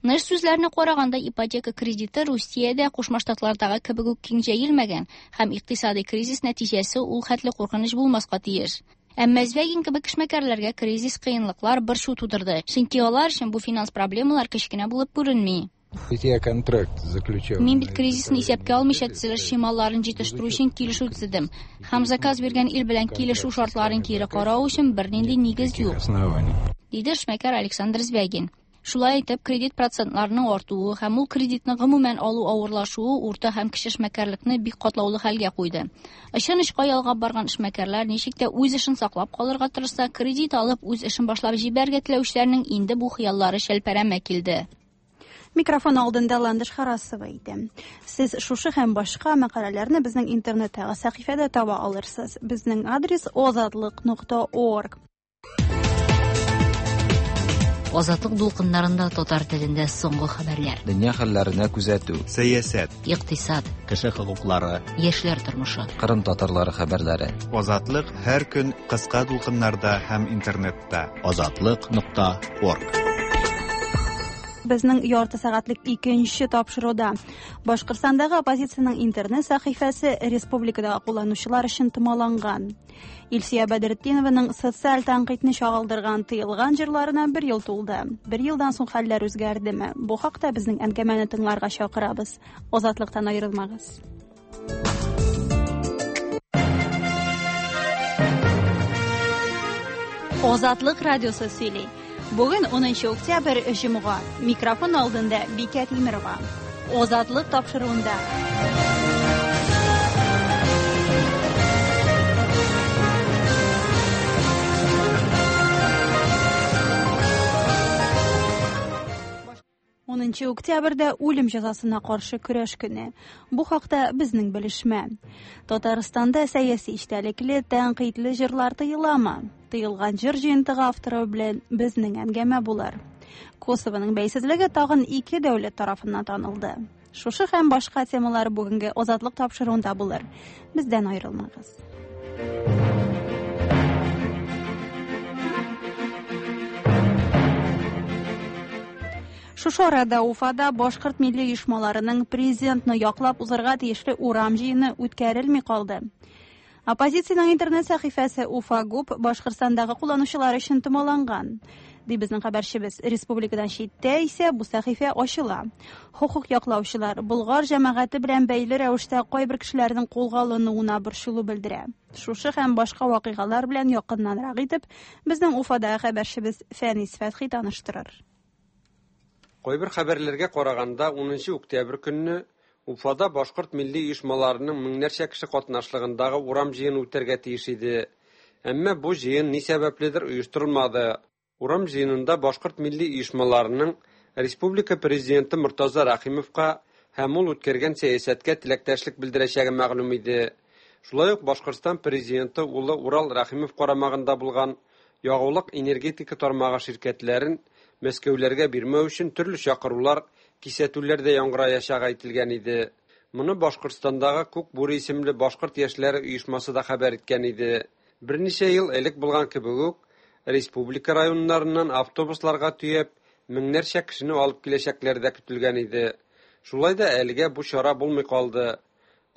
Нэш сүзләренә караганда, ипотека кредиты Русиядә Кушма Штатлардагы кебек үк киң җәелмәгән һәм икътисади кризис нәтиҗәсе ул хәтле куркыныч булмаска тиеш. Әмма Звягин кебек эшмәкәрләргә кризис кыенлыклар, борчу тудырды. Чөнки алар өчен бу финанс проблемалар кечкенә булып күренми. Ведь я контракт заключал. Мин бит кризисны исәпкә алмыйча төзелеш чималларын җитештерү өчен килешү төзедем. Һәм заказ биргән ил белән килешү шартларын кире карау өчен бернинди нигез юк, Оснований. Диде эшмәкәр Александр Звягин. Шулай итеп, кредит процентларының артуы һәм ул кредитны гомумән алу авырлашуы урта һәм кече эшмәкәрлекне бик катлаулы хәлгә куйды. Очын очка ялгап барган эшмәкәрләр ничек тә үз эшен саклап калырга тырышса, кредит алып үз эшен башлап җибәрергә теләүчеләрнең инде бу хыяллары шәлпәрәмә килде. Микрофон алдында Ландыш Харасова иде. Сез шушы һәм башка мәкаләләрне безнең интернеттагы сәхифәдә таба алырсыз. Безнең адрес озатлык нокта орг. Азатлык дулкыннарында татар телендә соңгы хәбәрләр. Дөнья хәлләренә күзәтү. Сәясәт. Икътисад. Кеше хокуклары. Яшьләр тормышы. Кырым татарлары хәбәрләре. Азатлык һәр көн кыска дулкыннарда һәм интернетта. Азатлык нокта орг. Безнең ярты сәгатьлек икенче тапшыруда Башкортстандагы оппозициянең интернет сәхифәсе республикадагы кулланучылар өчен томаланган. Илсөя Бәдретдинованың социаль тәнкыйтьне чагылдырган тыелган җырларына бер ел тулды. Бер елдан соң хәлләр үзгәрдеме? Бу хакта безнең әңгәмәне тыңларга чакырабыз. Азатлыктан аерылмагыз. Азатлык радиосы сөйли. Бүген унынчы октябрь җомга. Микрофон алдында Бикә Тимирова. Азатлык тапшыруында. Унынчы октябрьдә үлем җәзасына каршы көрәш көне. Бу хакта безнең белешмә. Татарстанда сәяси эчтәлекле, тәнкыйтьле җырлар тыеламы? Тыелган җыр җыентыгы авторы белән безнең әңгәмә булыр. Косованың бәйсезлеге тагын ике дәүләт тарафыннан танылды. Шушы һәм башка темалар бүгенге Азатлык тапшыруында булыр. Бездән аерылмагыз. Шушы арада Уфада башкорт милли оешмаларының президентны яклап узарга тиешле урам җыены үткәрелми калды. Оппозициянең интернет сәхифәсе Уфа-ГУП Башкортстандагы кулланучылар өчен томаланган. Ди безнең хәбәрчебез. Республикадан читтә исә бу сәхифә ачыла. Хокук яклаучылар Болгар җәмәгате белән бәйле рәвештә кайбер кешеләрнең кулга алынуына борчылу белдерә. Шушы һәм башка вакыйгалар белән якыннанрак итеп безнең Уфадагы хәбәрчебез Фәнис Фәтхи таныштырыр. Кайбер хәбәрләргә караганда унынчы октябрь көнне Уфада башкорт милли оешмаларының меңнәрчә кеше катнашлыгындагы урам җыены үтәргә тиеш иде. Әмма бу җыен ни сәбәпледер оештырылмады. Урам җыенында башкорт милли оешмаларының республика президенты Мортаза Рәхимовка һәм ул үткәргән сәясәткә теләктәшлек белдерәчәге мәгълүм иде. Шулай ук Башкортстан президенты улы Урал Рәхимов карамагында булган ягулык энергетика тармагы ширкәтләрен Мәскәүләргә бирмәү өчен төрле чакырулар, кисәтүләр дә яңгыраячагы әйтелгән иде. Моны Башкортстандагы Күк Бүре исемле башкорт яшьләре оешмасы да хәбәр иткән иде. Берничә ел элек булган кебек үк, республика районнарыннан автобусларга төяп, меңнәрчә кешене алып киләчәкләр дә көтелгән иде. Шулай да әлегә бу чара булмый калды.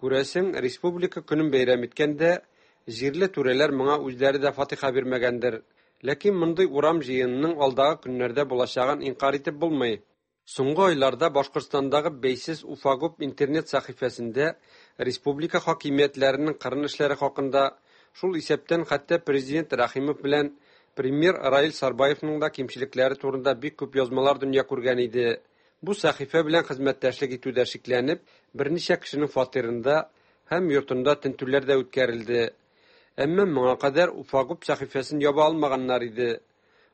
Күрәсең, республика көнен бәйрәм иткәндә, җирле түрәләр моңа үзләре дә фатиха бирмәгәндер. Ләкин мондый урам җыенының алдагы көннәрдә булачагын инкар итеп булмый. Соңгы айларда Башкортстандагы бәйсез Уфа-ГУП интернет сәхифәсендә республика хакимиятләренең кырын эшләре хакында, шул исәптән хәтта президент Рәхимов белән премьер Раил Сарбаевның да кимчелекләре турында бик күп язмалар дөнья күргән иде. Бу сәхифә белән хезмәттәшлек итүдә шикләнеп, берничә кешенең фатирында һәм йортында тентүләр дә үткәрелде. Әмма моңа кадәр Уфа-ГУП сәхифәсен яба алмаганнар иде.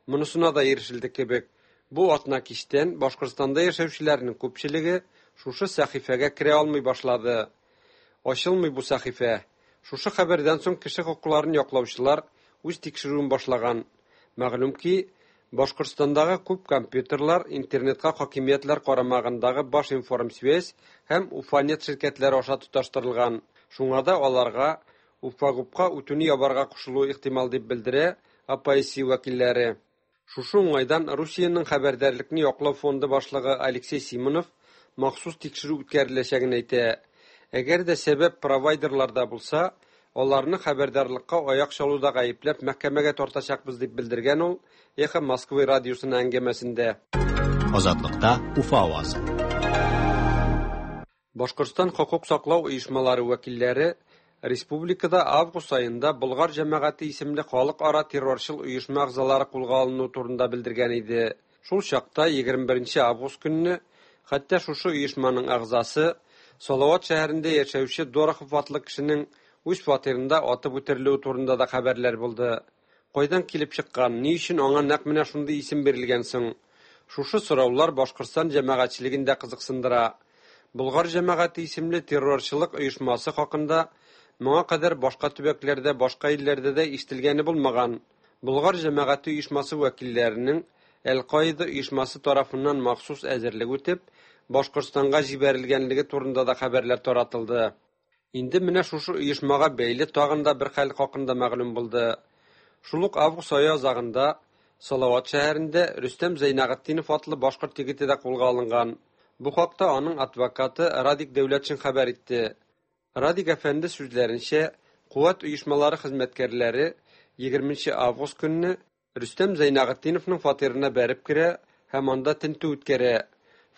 Монысына да ирешелде кебек. Бу атна кичтән Башкортстанда яшәүчеләрнең күпчелеге шушы сәхифәгә керә алмый башлады. Ачылмый бу сәхифә. Шушы хәбәрдән соң кеше хокукларын яклаучылар үз тикшерүен башлаган. Мәгълүм ки, Башкортстандагы күп компьютерлар интернетка хакимиятләр карамагындагы Башинформсвязь һәм Уфанет ширкәтләре аша тоташтырылган. Шуңа да аларга Уфа-ГУПка үтүне ябарга кушылуы ихтимал дип белдерә А П С вәкилләре. Шушы уңайдан Русиянең хәбәрдарлекне яклау фонды башлыгы Алексей Симонов махсус тикшерү үткәреләчәген әйтә. Әгәр дә сәбәп провайдерларда булса, аларны хәбәрдарлыкка аяк чалуда гаепләп мәхкәмәгә тартачакбыз дип белдергән ул Эхо Москвы радиосына әңгәмәсендә. Азатлыкта Уфа авазы. Башкортстан хокук саклау оешмалары вәкилләре республикада август аенда Болгар җәмәгате исемле халыкара террорчыл оешма әгъзалары кулга алыну турында белдергән иде. Шул чакта егерме беренче август көнне хәтта шушы оешманың әгъзасы Салават шәһәрендә яшәүче Дорохов атлы кешенең үз фатирында атып үтерелүе турында да хәбәрләр булды. Кайдан килеп чыккан, ни өчен аңа нәкъ менә шундый исем бирелгән соң? Шушы сораулар Башкортстан җәмәгатьчелеген дә кызыксындыра. Болгар җәмәгате исемле террорчылык оешмасы хакында моңа кадәр башка төбәкләрдә, башка илләрдә дә ишетелгәне булмаган. Болгар җәмәгате оешмасы вәкилләренең Әл-Каида оешмасы тарафыннан махсус әзерлек үтеп, Башкортстанга җибәрелгәнлеге турында да хәбәрләр таратылды. Инде менә шушы оешмага бәйле тагын да бер хәл хакында мәгълүм булды. Шул ук август ае азагында Салават шәһәрендә Рөстәм Зәйнәгытдинов атлы башкорт егете дә кулга алынган. Бу хакта аның адвокаты Радик Дәүләтшин хәбәр итте. Радик әфәнде сүзләренчә, куәт оешмалары хезмәткәрләре егерменче август көнне Рөстәм Зәйнәгытдиновның фатирына бәреп керә һәм анда тентү үткәрә.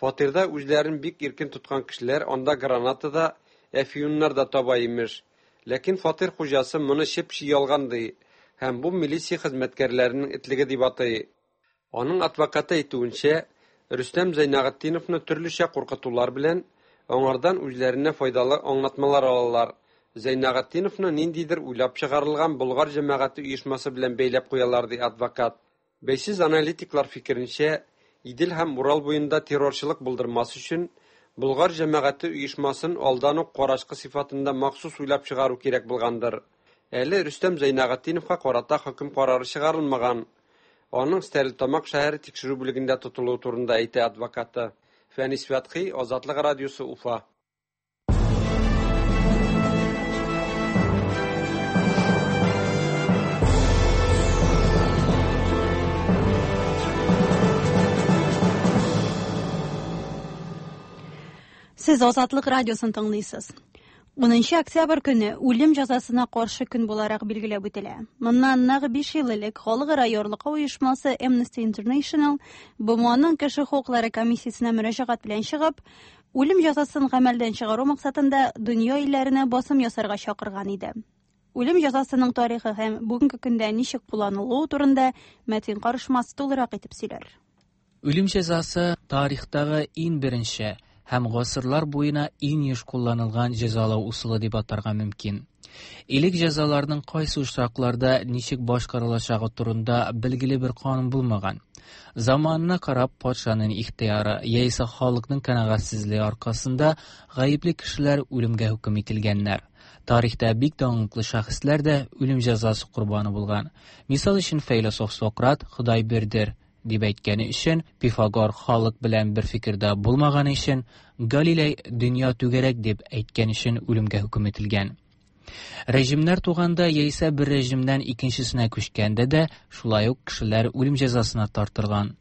Фатирда үзләрен бик иркен тоткан кешеләр анда граната да, әфьюннар да таба имеш. Ләкин фатир хуҗасы моны чеп-чи ялган ди һәм бу милиция хезмәткәрләренең этлеге дип атый. Аның адвокаты әйтүенчә, Рөстәм Зәйнәгытдиновны төрлечә куркытулар белән аңардан үзләренә файдалы аңлатмалар алалар. Зәйнәгытдиновны ниндидер уйлап чыгарылган Болгар җәмәгате оешмасы белән бәйләп куялар, ди адвокат. Бәйсез аналитиклар фикеренчә, Идел һәм Урал буенда террорчылык булдырмас өчен Болгар җәмәгате оешмасын алдан ук карачкы сыйфатында махсус уйлап чыгару кирәк булгандыр. Әле Рөстәм Зәйнәгытдиновка карата хөкем карары чыгарылмаган. Аның Стәрлетамак шәһәре тикшерү бүлегендә тотылуы турында әйтә адвокаты. Фәнис Фәтхи, Азатлык радиосы, Уфа. Сез Азатлык радиосын тыңлыйсыз. Унынчы октябрь көне үлем җәзасына каршы көн буларак билгеләп үтелә. Моннан нәкъ биш ел элек Халыкара ярлыкау оешмасы Amnesty International БМОның кеше хокуклары комиссиясенә мөрәҗәгать белән чыгып, үлем җәзасын гамәлдән чыгару максатында дөнья илләренә басым ясарга чакырган иде. Үлем җәзасының тарихы һәм бүгенге көндә ничек кулланылуы турында Мәтин Карышмас тулырак итеп сөйләр. Үлем җәзасы тарихтагы иң беренче һәм гасырлар буена иң еш кулланылган җәзалау ысулы дип атарга мөмкин. Элек җәзаларның кайсы очракларда ничек башкарылачагы турында билгеле бер канун булмаган. Заманына карап патшаның ихтыяры яисә халыкның канәгатьсезлеге аркасында гаепле кешеләр үлемгә хөкем ителгәннәр. Тарихта бик данлыклы шәхесләр дә үлем җәзасы корбаны булган. Мисал өчен фәйләсуф Сократ «Ходай бердер» дип әйткәне өчен, Пифагор халык белән бер фикердә булмаганы өчен, Галилей дөнья түгәрәк дип әйткән өчен үлемгә хөкем ителгән. Режимнәр туганда яисә бер режимнән икенчесенә күчкәндә дә шулай ук кешеләр үлем җәзасына тартылган.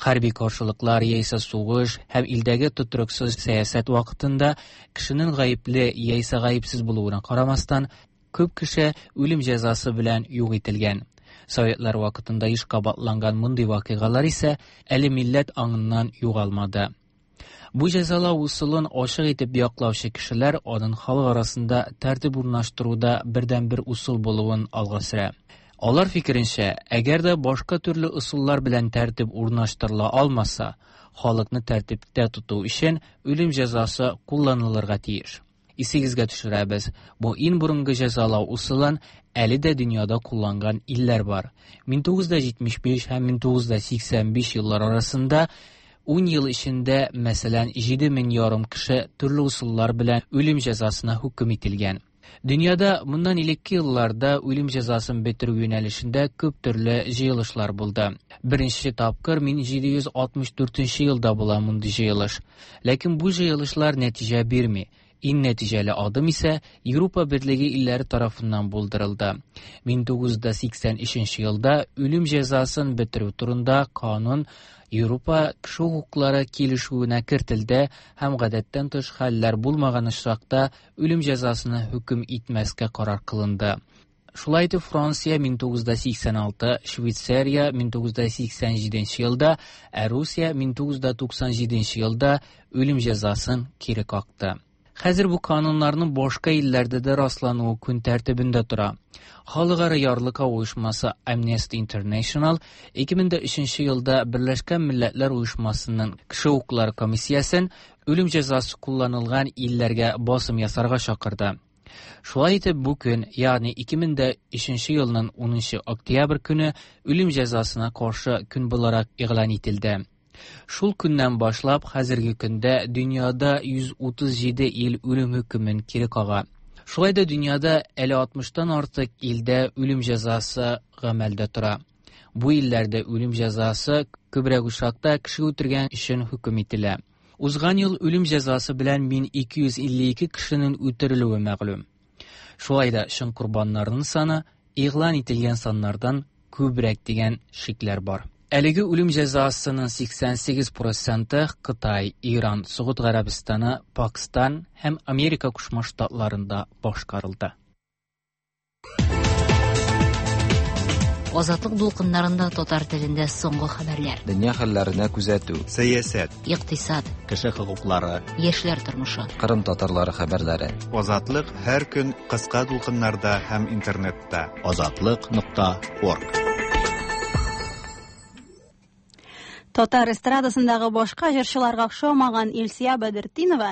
Хәрби каршылыклар яисә сугыш һәм илдәге тотрыксыз сәясәт вакытында кешенең гаепле яисә гаепсез булуына карамастан, күп кеше үлем җәзасы белән юк ителгән. Советлар вакытында еш кабатланган мондый вакыйгалар исә әле милләт аңыннан югалмады. Бу җәзалау ысулын ачык итеп яклаучы кешеләр аның халык арасында тәртип урнаштыруда бердәнбер ысул булуын алга сөрә. Алар фикеренчә, әгәр дә башка төрле ысуллар белән тәртип урнаштырыла алмаса, халыкны тәртиптә тоту өчен үлем җәзасы кулланылырга тиеш. Исегезгә төшерәбез, бу иң борынгы җәзалау ысулын әле дә дөньяда кулланган илләр бар. мең тугыз йөз җитмеш биш һәм мең тугыз йөз сиксән биш еллар арасында ун ел эчендә, мәсәлән, җиде мең ярым кеше төрле ысуллар белән үлем җәзасына хөкем ителгән. Дөньяда моннан элекке елларда үлем җәзасын бетерү юнәлешендә күп төрле җыелышлар булды. Беренче тапкыр мең җиде йөз алтмыш дүртенче елда була мондый җыелыш. Ләкин бу җыелышлар нәтиҗә бирми. Иң нәтиҗәле адым исә Европа Берлеге илләре тарафыннан булдырылды. мең тугыз йөз сиксән өченче елда үлем җәзасын бетерү турында канун Европа кеше хокуклары килешүенә кертелде һәм гадәттән тыш хәлләр булмаган очракта үлем җәзасына хөкем итмәскә карар кылынды. Шулай итеп Франция мең тугыз йөз сиксән алты, Швейцария мең тугыз йөз сиксән җиденче елда, ә Русия мең тугыз йөз туксан җиденче елда үлем җәзасын кире какты. Хәзер бу кануннарның башка илләрдә дә раслануы көн тәртибендә тора. Халыкара ярлыкау оешмасы Amnesty International ике мең өченче елда Берләшкән Милләтләр Оешмасының кеше хокуклары комиссиясен үлем җәзасы кулланылган илләргә басым ясарга чакырды. Шулай итеп бу көн, ягъни ике мең өченче елның унынчы октябрь көне үлем җәзасына каршы көн буларак игълан ителде. Шул көннән башлап хәзерге көндә дөньяда йөз утыз җиде ил үлем хөкемен кире кага. Шулай да дөньяда әле алтмыштан артык илдә үлем җәзасы гамәлдә тора. Бу илләрдә үлем җәзасы күбрәк очракта кеше үтергән өчен хөкем ителә. Узган ел үлем җәзасы белән мең ике йөз илле ике кешенең үтерелүе мәгълүм. Шулай да чын корбаннарның саны игълан ителгән саннардан күбрәк дигән шикләр бар. Әлеге үлем җәзасының сиксән сигез проценты Кытай, Иран, Согуд Гарәбстаны, Пакистан һәм Америка Кушма Штатларында башкарылды. Азатлык дулкыннарында татар телендә соңгы хәбәрләр. Дөнья хәлләренә күзәтү. Сәясәт, икътисад, кеше хокуклары, яшьләр тормышы. Кырым татарлары хәбәрләре. Азатлык һәр көн кыска дулкыннарда һәм интернетта. Азатлык нокта орг. Татар эстрадасындагы башка җырчыларга охшамаган Илсөя Бәдертдинова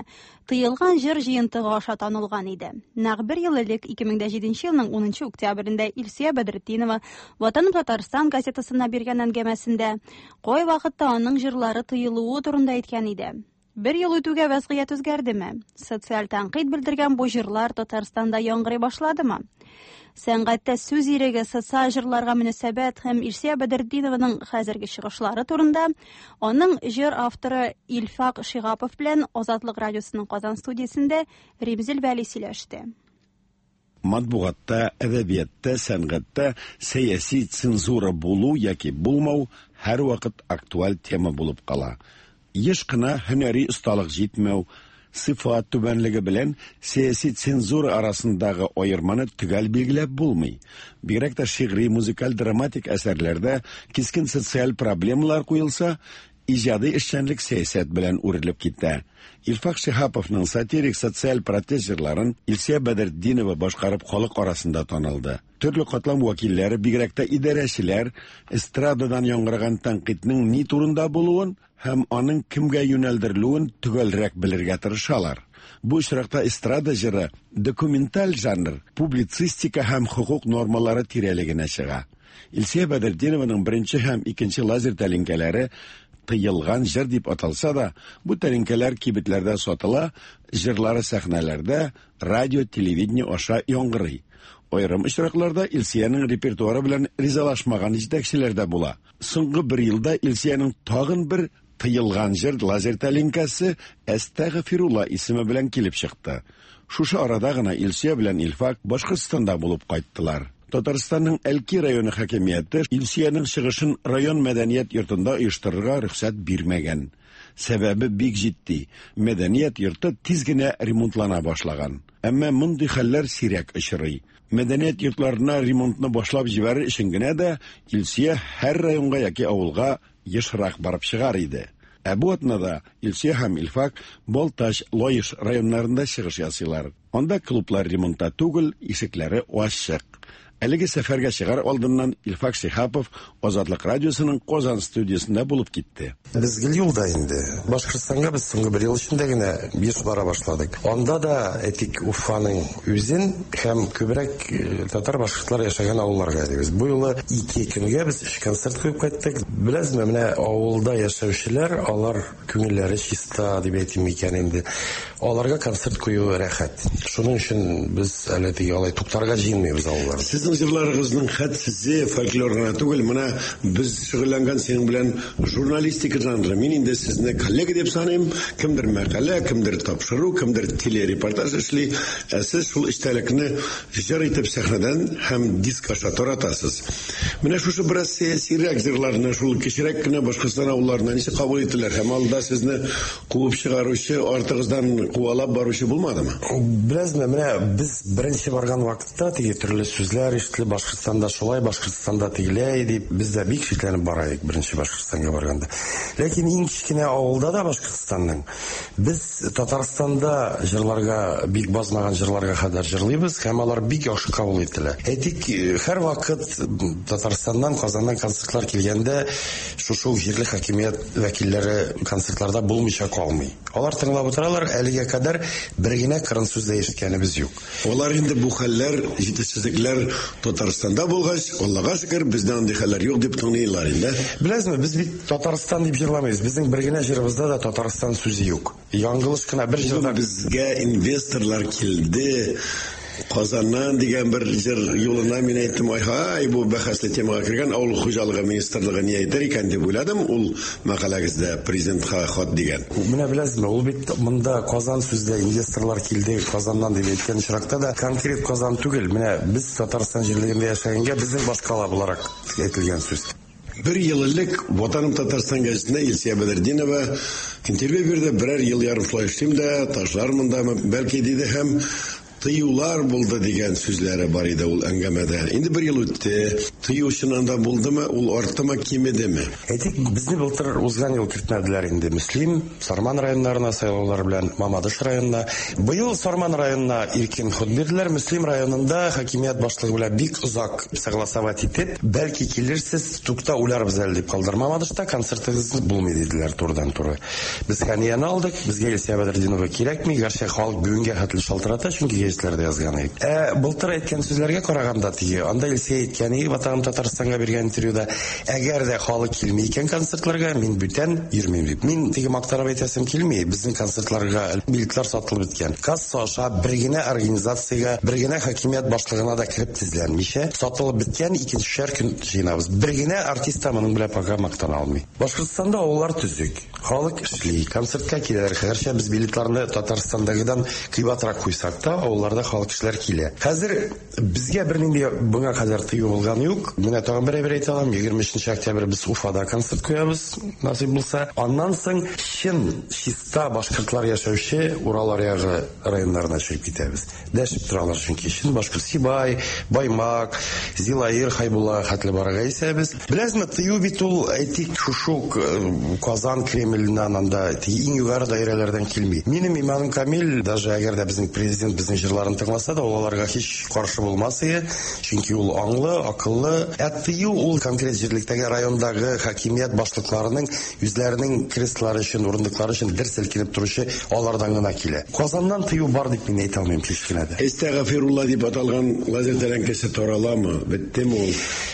тыелган җыр җыентыгы аша танылган иде. Нәкъ бер ел элек ике мең дә җиденче елның унынчы октябрендә Илсөя Бәдертдинова Ватаным Татарстан газетасына биргән әңгәмәсендә кай вакытта аның җырлары тыелуы турында әйткән иде. Бер ел үтүгә вәзгыять үзгәрдеме? Социаль тәнкыйть белдергән бу җырлар Татарстанда яңгырый башладымы? Сәнгатьтә сүз иреге, социаль җырларга мөнәсәбәт һәм Илсөя Бәдертдинованың хәзерге чыгышлары турында аның җыр авторы Илфак Шиһапов белән Азатлык радиосының Казан студиясендә Римзил Вәли сөйләште. Матбугатта, әдәбиятта, сәнгатьтә сәяси цензура булу яки булмау һәрвакыт актуаль тема булып кала. Еш кына һөнәри осталык җитмәү, сыйфат түбәнлеге белән сәяси цензура арасындагы аерманы төгәл билгеләп булмый. Бигрәк тә шигъри, музыкаль, драматик әсәрләрдә кискен социаль проблемалар куелса, иҗади эшчәнлек сәясәт белән үрелеп китә. Илфак Шиһаповның сатирик социаль протест җырларын Илсөя Бәдертдинова башкарып халык арасында танылды. Төрле катлам вәкилләре, бигрәк тә идарәчеләр, эстрададан яңгыраган тәнкыйтьнең ни турында булуын һәм аның кемгә юнәлдерелүен төгәлрәк белергә тырышалар. Бу очракта эстрада җыры документаль жанр, публицистика һәм хокук нормалары тирәлегенә чыга. Илсөя Бәдертдинованың беренче һәм икенче лазер тәлинкәләре тыелган җыр дип аталса да, бу тәлинкәләр кибетләрдә сатыла, җырлары сәхнәләрдә, радио, телевидение аша яңгырый. Аерым очракларда Илсөянең репертуары белән ризалашмаган җитәкчеләр дә була. Соңгы бер елда Илсөянең тагын бер тыелган җыр лазер тәлинкәсе Әстәгъфирулла исеме белән килеп чыкты. Шушы арада гына Илсөя белән Илфак Башкортстанда булып кайттылар. Татарстанның Әлки районы хакимияте Илсөянең чыгышын район мәдәният йортында оештырырга рөхсәт бирмәгән. Сәбәбе бик җитди. Мәдәният йорты тиз генә ремонтлана башлаган. Әмма мондый хәлләр сирәк очрый. Мәдәният йортларына ремонтны башлап җибәрер өчен генә дә Илсөя һәр районга яки авылга ешрак барып чыгар иде. Ә бу атнада Илсөя һәм Илфак Балтач, Лаеш районнарында чыгыш ясыйлар. Анда клублар ремонтта түгел, ишекләре ачык. Әлеге сәфәргә чыгар алдыннан Илфак Шиһапов Азатлык радиосының Казан студиясендә булып китте. Без гел юлда инде. Башкортстанга без соңгы бер ел эчендә генә еш бара башладык. Анда да әйтик Уфаның үзен һәм күбрәк татар башкортлар яшәгән авылларга йөрибез. Бу юлы ике көнгә без өч концерт куеп кайттык. Беләсезме, менә авылда яшәүчеләр, алар күңелләре чиста дип әйтим микән инде. Аларга концерт кую рәхәт. Шуның өчен без әле теге алай туктарга җыенмыйбыз авылларда. Сезнең җырларыгызның хәтсезе фольклор гына түгел, менә без шөгыльләнгән синең белән журналистика жанры. Мин инде сезне коллега дип саныйм. Кемдер мәкалә, кемдер тапшыру, кемдер телерепортаж эшли. Ә сез шул эчтәлекне җыр итеп сәхнәдән һәм диск аша таратасыз. Менә шушы бераз сәясирәк җырларны шул кечерәк кенә Башкортстан авылларына ничек кабул иттеләр һәм алда сезне куып чыгаручы, артыгыздан куалап баручы булмадымы? Беләсезме, менә без беренче барган вакытта теге төрле сүзләр ишетелеп, Башкортстанда шулай, Башкортстанда тегеләй дип, без дә бик шикләнеп бара идек беренче Башкортстанга барганда. Ләкин иң кечкенә авылда да Башкортстанның без Татарстанда җырларга бик базмаган җырларга кадәр җырлыйбыз һәм алар бик яхшы кабул ителә. Әйтик, һәрвакыт Татарстаннан, Казаннан концертлар килгәндә шушы ук җирле хакимият вәкилләре концертларда булмыйча калмый. Алар тыңлап утыралар, әлегә кадәр бер генә кырын сүз дә ишеткәнебез юк. Алар инде бу хәлләр, җитешсезлекләр Татарстанда булгач, Аллага шөкер, бездә андый хәлләр юк дип тыңлыйлар инде. Беләсезме, без бит Татарстан дип җырламыйбыз. Безнең бер генә җырыбызда да Татарстан сүзе юк. Яңгылыш кына бер җырда безгә инвесторлар килде. Казаннан дигән бер җыр юлына мин әйттем, ай-һай, бу бәхәсле темага кергән авыл хуҗалыгы министрлыгы ни әйтер икән дип уйладым. Ул мәкаләгездә президентка хат дигән. Менә беләсезме, ул бит монда Казан сүздә инвесторлар килде Казаннан дип әйткән очракта да конкрет Казан түгел. Менә без Татарстан җирлегендә яшәгәнгә безнең башкала буларак әйтелгән сүз. Бер ел элек Ватаным Татарстан гәзитенә Илсөя Бәдретдинова интервью бирде. Берәр ел ярым шулай эшлим дә, ташлармын да, бәлки диде һәм тыюлар булды дигән сүзләре бар иде ул әңгәмәдә. Инде бер ел үтте. Тыю чыннан да булдымы, ул арттымы, кимедеме? Әйтик, безне былтыр узган ел кертмәделәр инде. Мөслим, Сарман районнарына сайлаулар белән Мамадыш районына. Быел Сарман районына иркен ход бирделәр. Мөслим районында хакимият башлыгы белән бик озак согласовать итеп, бәлки килерсез, тукта уйларбыз әле дип калдыр. Мамадышта концертыгыз булмый диделәр турыдан-туры. Без Хәнияне алдык, безгә Илсөя Бәдретдинова кирәкми, гәрчә халык бүгенгә хәтле шалтырата, чөнки гәзитләрдә язган идек. Ә былтыр әйткән сүзләргә караганда теге, анда Илсөя әйткән иде, Ватаным Татарстанга биргән интервьюда, әгәр дә халык килми икән концертларга, мин бүтән йөрмим дип. Мин теге мактанып әйтәсем килми, безнең концертларга билетлар сатылып беткән. Касса аша бер генә организациягә, бер генә хакимият башлыгына да кереп тезләнмичә, сатылып беткән икенчешәр көн җыйнабыз. Бер генә артист та моның белән пока мактана алмый. Башкортстанда авыллар төзек, халык эшли, концертка киләләр. Гәрчә без билетларны Татарстандагыдан кыйбатрак куйсак та, авылларда халык кешеләр килә. Хәзер безгә бернинди моңа кадәр тыю булган юк. Менә тагын бер әйбер әйтә алам. егерме өченче октябрь без Уфада концерт куябыз, насыйп булса. Аннан соң чын чиста башкортлар яшәүче Урал аръягы районнарына чыгып китәбез. Дәшеп торалар чөнки чын башкорт Сибай, Баймак, Зилаир, Хайбулла хәтле барырга исәбез. Беләсезме, тыю бит ул, әйтик, шушы Казан Кремленнән анда иң югары даирәләрдән килми. Минем иманым камил, даже әгәр дә безнең президент безнең җырларын тыңласа да, ул аларга һич каршы булмас иде, чөнки ул аңлы, акыллы. Ә тыю ул конкрет җирлектәге райондагы хакимият башлыкларының үзләренең креслолары өчен, урындыклары өчен дер селкенеп торучы алардан гына килә. Казаннан тыю бар дип мин әйтә алмыйм һич кенә дә. Әстәгъфирулла дип аталган лазер тәләнкәсе тараламы, беттеме ул?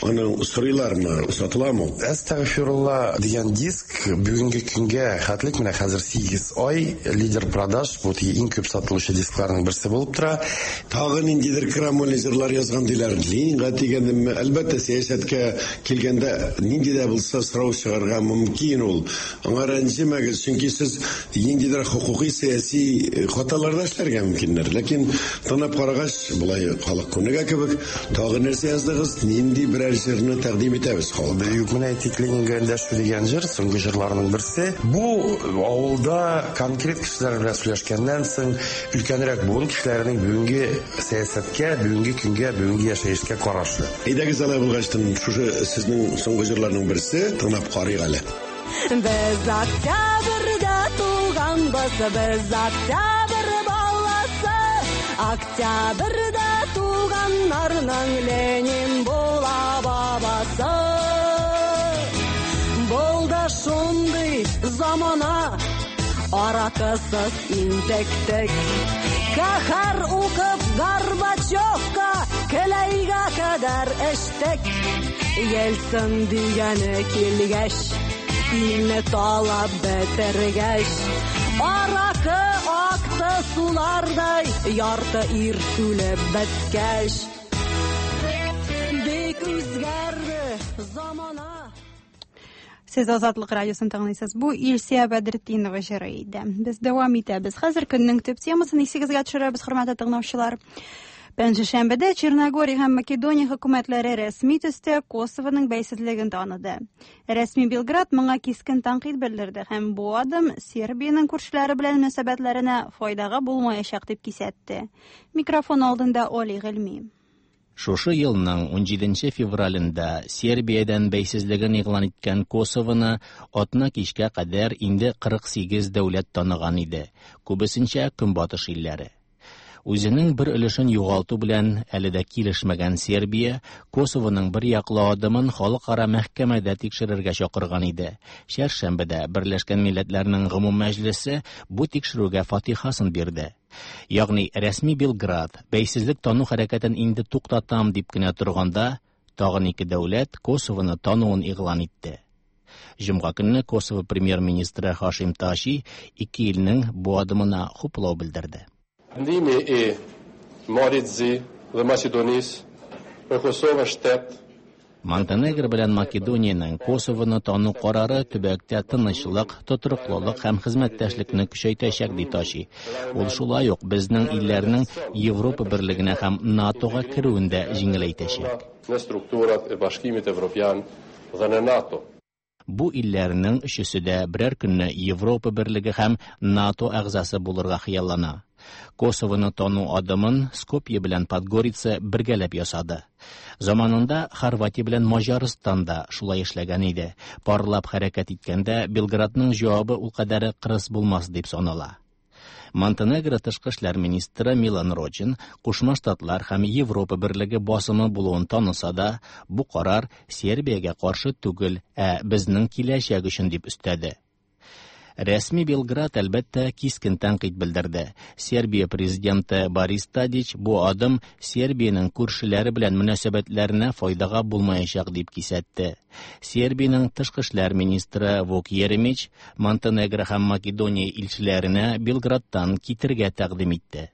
Аны сорыйлармы, сатыламы? Әстәгъфирулла дигән диск бүгенге көнгә хәтлек менә хәзер сигез ай лидер продаж, бу иң күп сатылучы дискларның берсе булып тора. Тагы ниндидер крамольный җырлар язган диләр. Ленинга дигәнме? Әлбәттә, сәясәткә килгәндә нинди дә булса сорау чыгарга мөмкин ул. Аңа рәнҗемәгез, чөнки сез ниндидер хокукый сәяси хаталар да эшләргә мөмкиннәр. Ләкин тыңлап карагач, болай халык күнегә кебек, тагы нәрсә яздыгыз, нинди берәр җырны тәкъдим итәбез халыкка? Юк, менә әйтик, Ленинга эндәшү дигән җыр, соңгы җырларның берсе. Бу авылда конкрет кешеләр белән сөйләшкәннән соң, өлкәнрәк буын кешеләренең бүгенге сәясәткә, бүгенге көнгә, бүгенге яшәешкә карашы. Әйдәгез алай булгачтын, шушы сезнең соңгы җырларның берсе, тыңлап карыйк әле. Без октябрьдә туганбыз, без октябрь баласы, октябрьдә туганнарның Ленин була бабасы. Булды шундый замана, аракысыз интектек. Каһәр укып Горбачевка келәйгә кадәр эштек. Ельцин дигәне килгәч, илне талап бетергәч, аракы акты сулардай, ярты ир үлеп беткәч. Бик үзгәрде замана. Сез Азатлык радиосын тыңлыйсыз. Бу Илсөя Бәдретдинова җыры иде. Без дәвам итәбез. Хәзер көннең төп темасын исегезгә төшерәбез, хөрмәтле тыңлаучылар. Пәнҗешәмбедә Черногория һәм Македония хөкүмәтләре рәсми төстә Косовоның бәйсезлеген таныды. Рәсми Белград моңа кискен тәнкыйть белдерде һәм бу адым Сербиянең күршеләре белән мөнәсәбәтләренә файдага булмаячак дип кисәтте. Микрофон алдында Оли Гыйльми. Шушы елның ун җиденче февралендә Сербиядән бәйсезлеген игълан иткән Косовоны атна кичкә кадәр инде кырык сигез дәүләт таныган иде, күбесенчә Көнбатыш илләре. Үзенең бер өлешен югалту белән әле дә килешмәгән Сербия Косовоның бер яклы адымын халыкара мәхкәмәдә тикшерергә чакырган иде. Чәршәмбедә Берләшкән Милләтләрнең Гомум Мәҗлесе бу тикшерүгә фатихасын бирде. Ягъни рәсми Белград бәйсезлек тану хәрәкәтен инде туктатам дип кенә торганда, тагын ике дәүләт Косовоны тануын игълан итте. Җомга көнне Косово премьер-министры Хашим Таши ике илнең бу адымына хуплау белдерде. Vendimi i Malit Zi dhe Maqedonisë për Kosovën shtet. Монтенегро белән Македониянең Косовоны тану карары төбәктә тынычлык, тотрыклылык һәм хезмәттәшлекне көчәйтәчәк, ди Тачи. Ул шулай ук безнең илләрнең Европа берлегенә һәм НАТОга керүен дә җиңеләйтәчәк. Në strukturat e Bashkimit Evropian dhe në NATO. Бу илләрнең өчесе дә берәр көнне Европа берлеге һәм НАТО әгъзасы булырга хыяллана. Косовоны тану адымын Скопье белән Подгорица бергәләп ясады. Заманында Хорватия белән Маҗарстан да шулай эшләгән иде. Парлап хәрәкәт иткәндә Белградның җавабы ул кадәр кырыс булмас дип санала. Монтенегро тышкы эшләр министры Милан Рочин Кушма Штатлар һәм Европа берлеге басымы булуын таныса да, бу карар Сербиягә каршы түгел, ә безнең киләчәк өчен дип өстәде. Рәсми Белград әлбәттә кискен тәнкыйть белдерде. Сербия президенты Борис Тадич бу адым Сербиянең күршеләре белән мөнәсәбәтләренә файдага булмаячак дип кисәтте. Сербиянең тышкы эшләр министры Вук Еремич Монтенегро һәм Македония илчеләренә Белградтан китергә тәкъдим итте.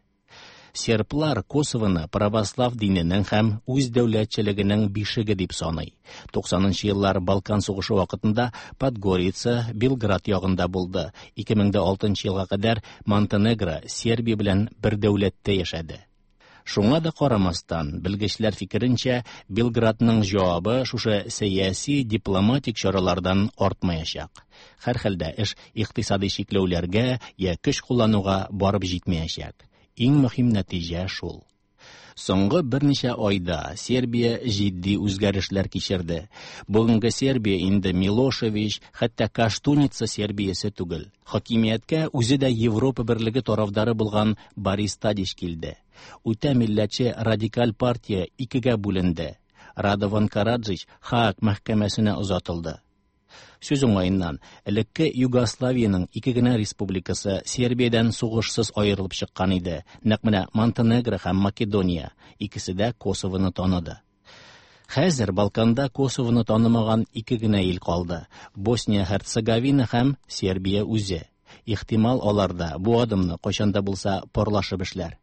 Серблар Косовоны православ диненең һәм үз дәүләтчелегенең бишеге дип саный. туксанынчы еллар Балкан сугышы вакытында Подгорица Белград ягында булды. ике мең дә алтынчы елга кадәр Монтенегро Сербия белән бер дәүләттә яшәде. Шуңа да карамастан, белгечләр фикеренчә, Белградның җавабы шушы сәяси дипломатик чаралардан артмаячак. Һәрхәлдә эш икътисади чикләүләргә я көч куллануга барып җитмәячәк. Иң мөһим нәтиҗә шул. Соңгы берничә айда Сербия җитди үзгәрешләр кичерде. Бүгенге Сербия инде Милошевич, хәтта Каштуница Сербиясе түгел. Хакимияткә үзе дә Европа берлеге тарафдары булган Борис Тадич килде. Үтә милләтче радикаль партия икегә бүленде. Радован Караджич Хааг мәхкәмәсенә озатылды. Сүз уңаеннан, элекке Югославиянең ике генә республикасы Сербиядән сугышсыз аерылып чыккан иде. Нәкъ менә Монтенегро һәм Македония икесе дә Косовоны таныды. Хәзер Балканда Косовоны танымаган ике генә ил калды: Босния Һерцеговина һәм Сербия үзе. Ихтимал, алар да бу адымны кайчан да булса парлашып эшләр.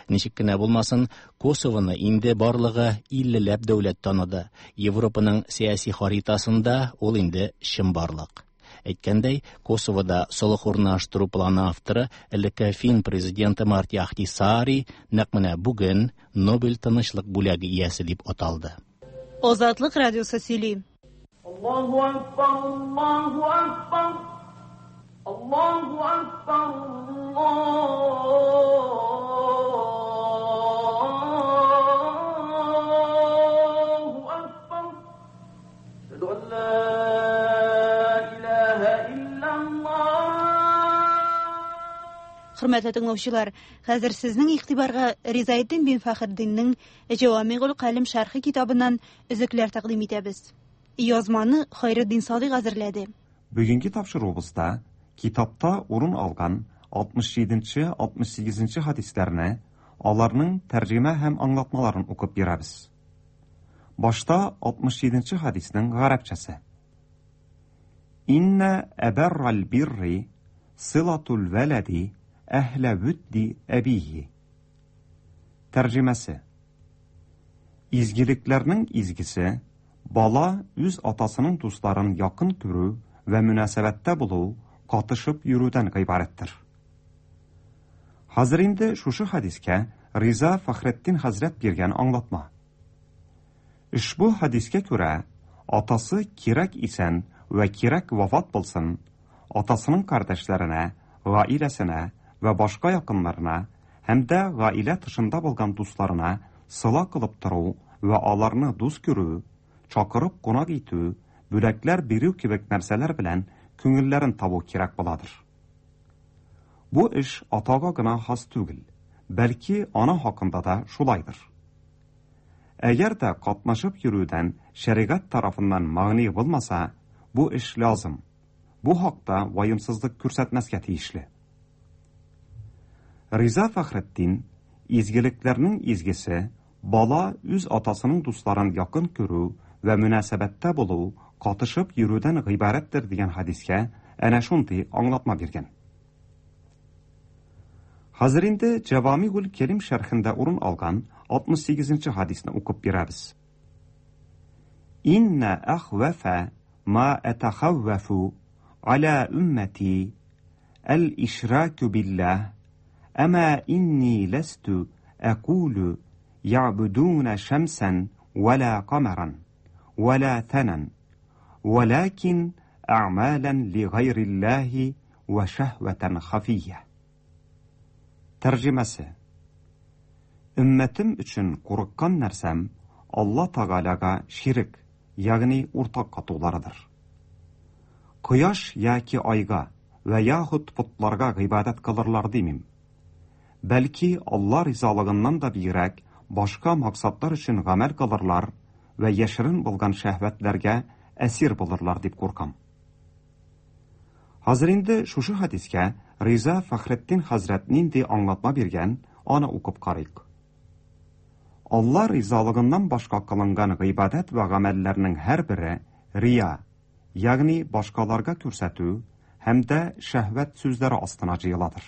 Ничек кенә булмасын, Косовоны инде барлыгы иллеләп дәүләт таныды. Европаның сәяси харитасында ул инде чынбарлык. Әйткәндәй, Косовода солых урнаштыру планы авторы элекке фин президенты Марти Ахтисаари нәкъ менә бүген Нобель тынычлык бүләге иясе дип аталды. Азатлык радиосы сөйли. Аллаһу акбар, Аллаһу акбар. Allahu Akbar, Allahu Akbar. Ashhadu an la ilaha illallah. Хөрмәтле тыңлаучылар, хәзер сезнең игътибарга Ризаэддин бин Фәхретдиннең Җавамигул Калим шәрхе китабыннан өзекләр тәкъдим итәбез. Язманы Хайретдин Садыйк әзерләде. Бүгенге тапшыруыбызда китапта урын алган алтмыш җиденче, алтмыш сигезенче хадисләрне, аларның тәрҗемә һәм аңлатмаларын укып бирәбез. Башта алтмыш җиденче хадиснең гарәпчәсе. Инна әбәррал бирри силатул вәләди әһлә вүдди әбиһи. Тәрҗемәсе. Изгелекләрнең изгесе бала үз атасының дусларын якын күрү вә мөнәсәбәттә булу, катышып йөрүдән гыйбарәттер. Хәзер инде шушы хадискә Риза Фәхретдин хәзрәт биргән аңлатма. Ошбу хадискә күрә, атасы кирәк исән вә кирәк вафат булсын, атасының кардәшләренә, гаиләсенә вә башка якыннарына һәм дә гаилә тышында булган дусларына сыла кылып тору вә аларны дус күрү, чакырып кунак итү, бүләкләр бирү кебек нәрсәләр белән күңелләрен табу кирәк буладыр. Бу эш атага гына хас түгел, бәлки ана хакында да шулайдыр. Әгәр дә катнашып йөрүдән шәригать тарафыннан мәгъни булмаса, бу эш лазым. Бу хакта ваемсызлык күрсәтмәскә тиешле. Риза Фәхретдин изгелекләрнең изгесе, бала үз атасының дусларын якын күрү вә мөнәсәбәттә булу, катышып йөрүдән гыйбарәттер дигән хадискә әнә шундый аңлатма биргән. Хәзер инде Җавамигул Кәлим шәрхендә урын алган алтмыш сигезенче хадисны укып бирәбез. Инна әхвәфә ма әтәхәввәфу аля уммати әл-ишраку биллаһ әмә инни ләстү әкулу يعبدون شمسا ولا قمرا ولا ثنا ولكن أعمالا لغير الله وشهوة خفية. Тәрҗемәсе: Өммәтем өчен курыккан нәрсәм Алла Тәгаләгә ширк, ягъни уртак катуларыдыр. Кояш яки айга вә яхуд потларга гыйбадәт кылырлар димим. Бәлки Алла ризалыгыннан да бигрәк башка максатлар өчен гамәл кылырлар вә яшерен булган шәһвәтләргә әсир булырлар дип куркам. Хәзер инде шушы хадискә Риза Фәхретдин хәзрәт нинди аңлатма биргән, аны укып карыйк. Алла ризалыгыннан башка кылынган гыйбадәт вә гамәлләрнең һәрбере рия, ягъни башкаларга күрсәтү һәм дә шәһвәт сүзләре астына җыеладыр.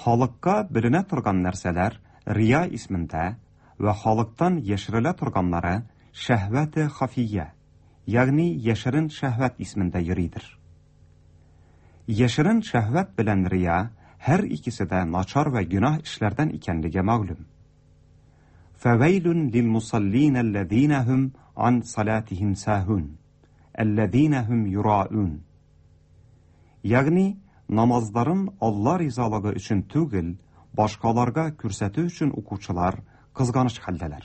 Халыкка беленә торган нәрсәләр рия исмендә вә халыктан яшерелә торганнары шәһвәте хафия, ягъни яшерен шәһвәт исмендә йөридер. Яшерен шәһвәт белән рия һәр икесе дә начар вә гөнаһ эшләрдән икәнлеге мәгълүм. Фәвәйлүн лилмусаллин аллазина һум ан салатихим сахун, аллазина һум юраун. Ягъни намазларын Алла ризалыгы өчен түгел, башкаларга күрсәтү өчен укучылар кызганыч хәлдәләр.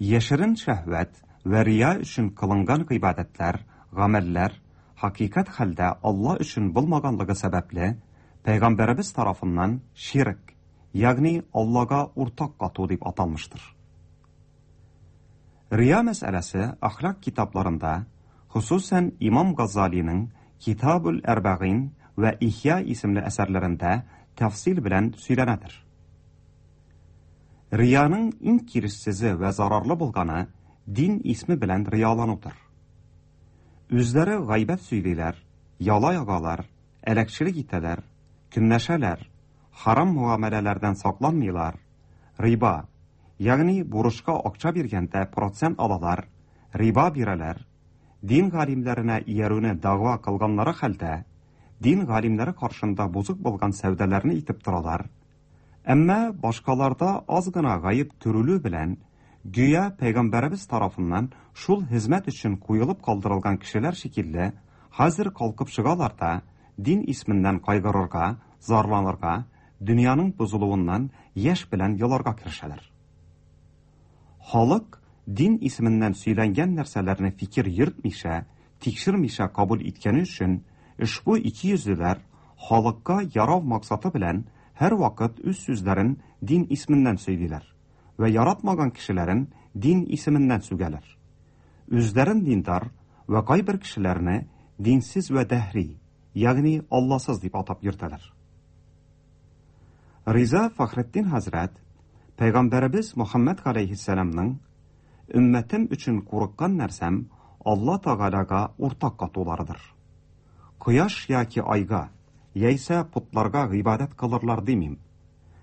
Яшерен шәһвәт вә рия өчен кылынган гыйбадәтләр, гамәлләр хакыйкать хәлдә Алла өчен булмаганлыгы сәбәпле Пәйгамбәребез тарафыннан ширк, ягъни Аллага уртак кату дип аталмыштыр. Рия мәсьәләсе әхлак китапларында, хосусан Имам Газалиның Китабул Әрбәгин вә Ихя исемле әсәрләрендә тәфсил белән сөйләнәдер. Рияның иң киресезе вә зарарлы булганы дин исме белән рияланудыр. Үзләре гайбәт сөйлиләр, яла ягалар, әләкчелек итәләр, көнләшәләр, харам муамәләләрдән сакланмыйлар, риба, ягъни бурычка акча биргәндә процент алалар, риба бирәләр, дин галимнәренә иярүне дәгъва кылганнары хәлдә, дин галимнәре каршында бозык булган сәүдәләрне итеп торалар. Әмма башкаларда аз гына гаеп күрелү белән гүя Пәйгамбәребез тарафыннан шул хезмәт өчен куелып калдырылган кешеләр шикелле хәзер калкып чыгалар да дин исменнән кайгырырга, зарланырга, дөньяның бозылуыннан яшь белән еларга керешәләр. Халык дин исеменнән сөйләнгән нәрсәләрне фикер йөртмичә, тикшермичә кабул иткәне өчен ошбу ике йөзлеләр халыкка ярау максаты белән һәр вакыт үз сүзләрен дин исеменнән сөйлиләр вә яратмаган кешеләрен дин исеменнән сүгәләр. Үзләрен диндар вә кайбер кешеләрне динсез вә дәһри, ягъни Алласыз дип атап йөртәләр. Риза Фәхретдин хәзрәт Пәйгамбәребез Мөхәммәд галәйһиссәламның өммәтем өчен курыккан нәрсәм Алла Тәгаләгә уртак катуларыдыр. Кояш яки айга, яисә потларга гыйбадәт кылырлар димим.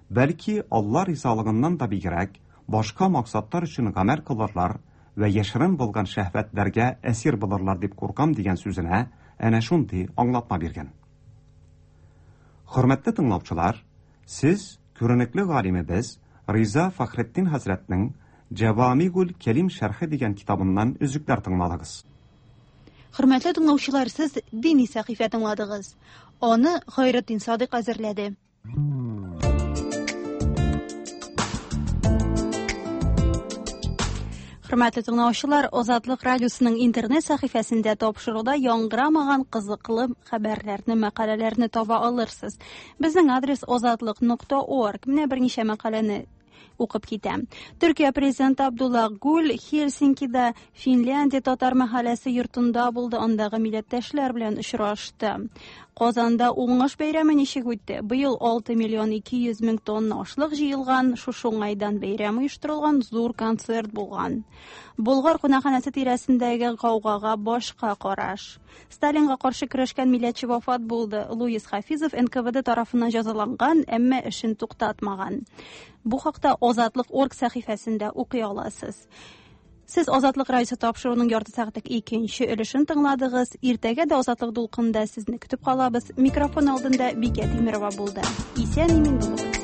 Бәлки Алла ризалыгыннан да бигрәк башка максатлар өчен гамәл кылырлар вә яшерен булган шәһвәтләргә әсир булырлар дип куркам дигән сүзенә әнә шундый аңлатма биргән. Хөрмәтле тыңлаучылар, сез күренекле галимебез Риза Фәхретдин хәзрәтнең Җавамигул Кәлим шәрхе дигән китабыннан өзекләр тыңладыгыз. Хөрмәтле тыңлаучылар, сез дини сәхифә тыңладыгыз. Аны Хайретдин Садык әзерләде. Хөрмәтле тыңлаучылар, Азатлык радиосының интернет сәхифәсендә тапшыруда яңгырамаган кызыклы хәбәрләрне, мәкаләләрне таба алырсыз. Безнең адрес озатлык нокта орг. Менә берничә мәкаләне Укып китәм. Төркия президенты Абдулла Гүл Хельсинкида Финляндия татар мәхәлләсе йортында булды, андагы милләттәшләр белән очрашты. Казанда уңыш бәйрәме ничек үтте? Быел алты миллион ике йөз мең тонна ашлык җыелган, шушы уңайдан бәйрәм оештырылган, зур концерт булган. Болгар кунакханәсе тирәсендәге гаугага башка караш. Сталинга каршы көрәшкән милләтче вафат булды. Луис Хафизов эн ка вэ дэ тарафыннан җәзаланган, әмма эшен туктатмаган. Бу хакта Азатлык орг сәхифәсендә укый аласыз. Сез Азатлык радиосы тапшыруының ярты сәгатьлек икенче өлешен тыңладыгыз. Иртәгә дә Азатлык дулкынында сезне көтеп калабыз. Микрофон алдында Бикә Тимирова булды. Исән-имин булыгыз.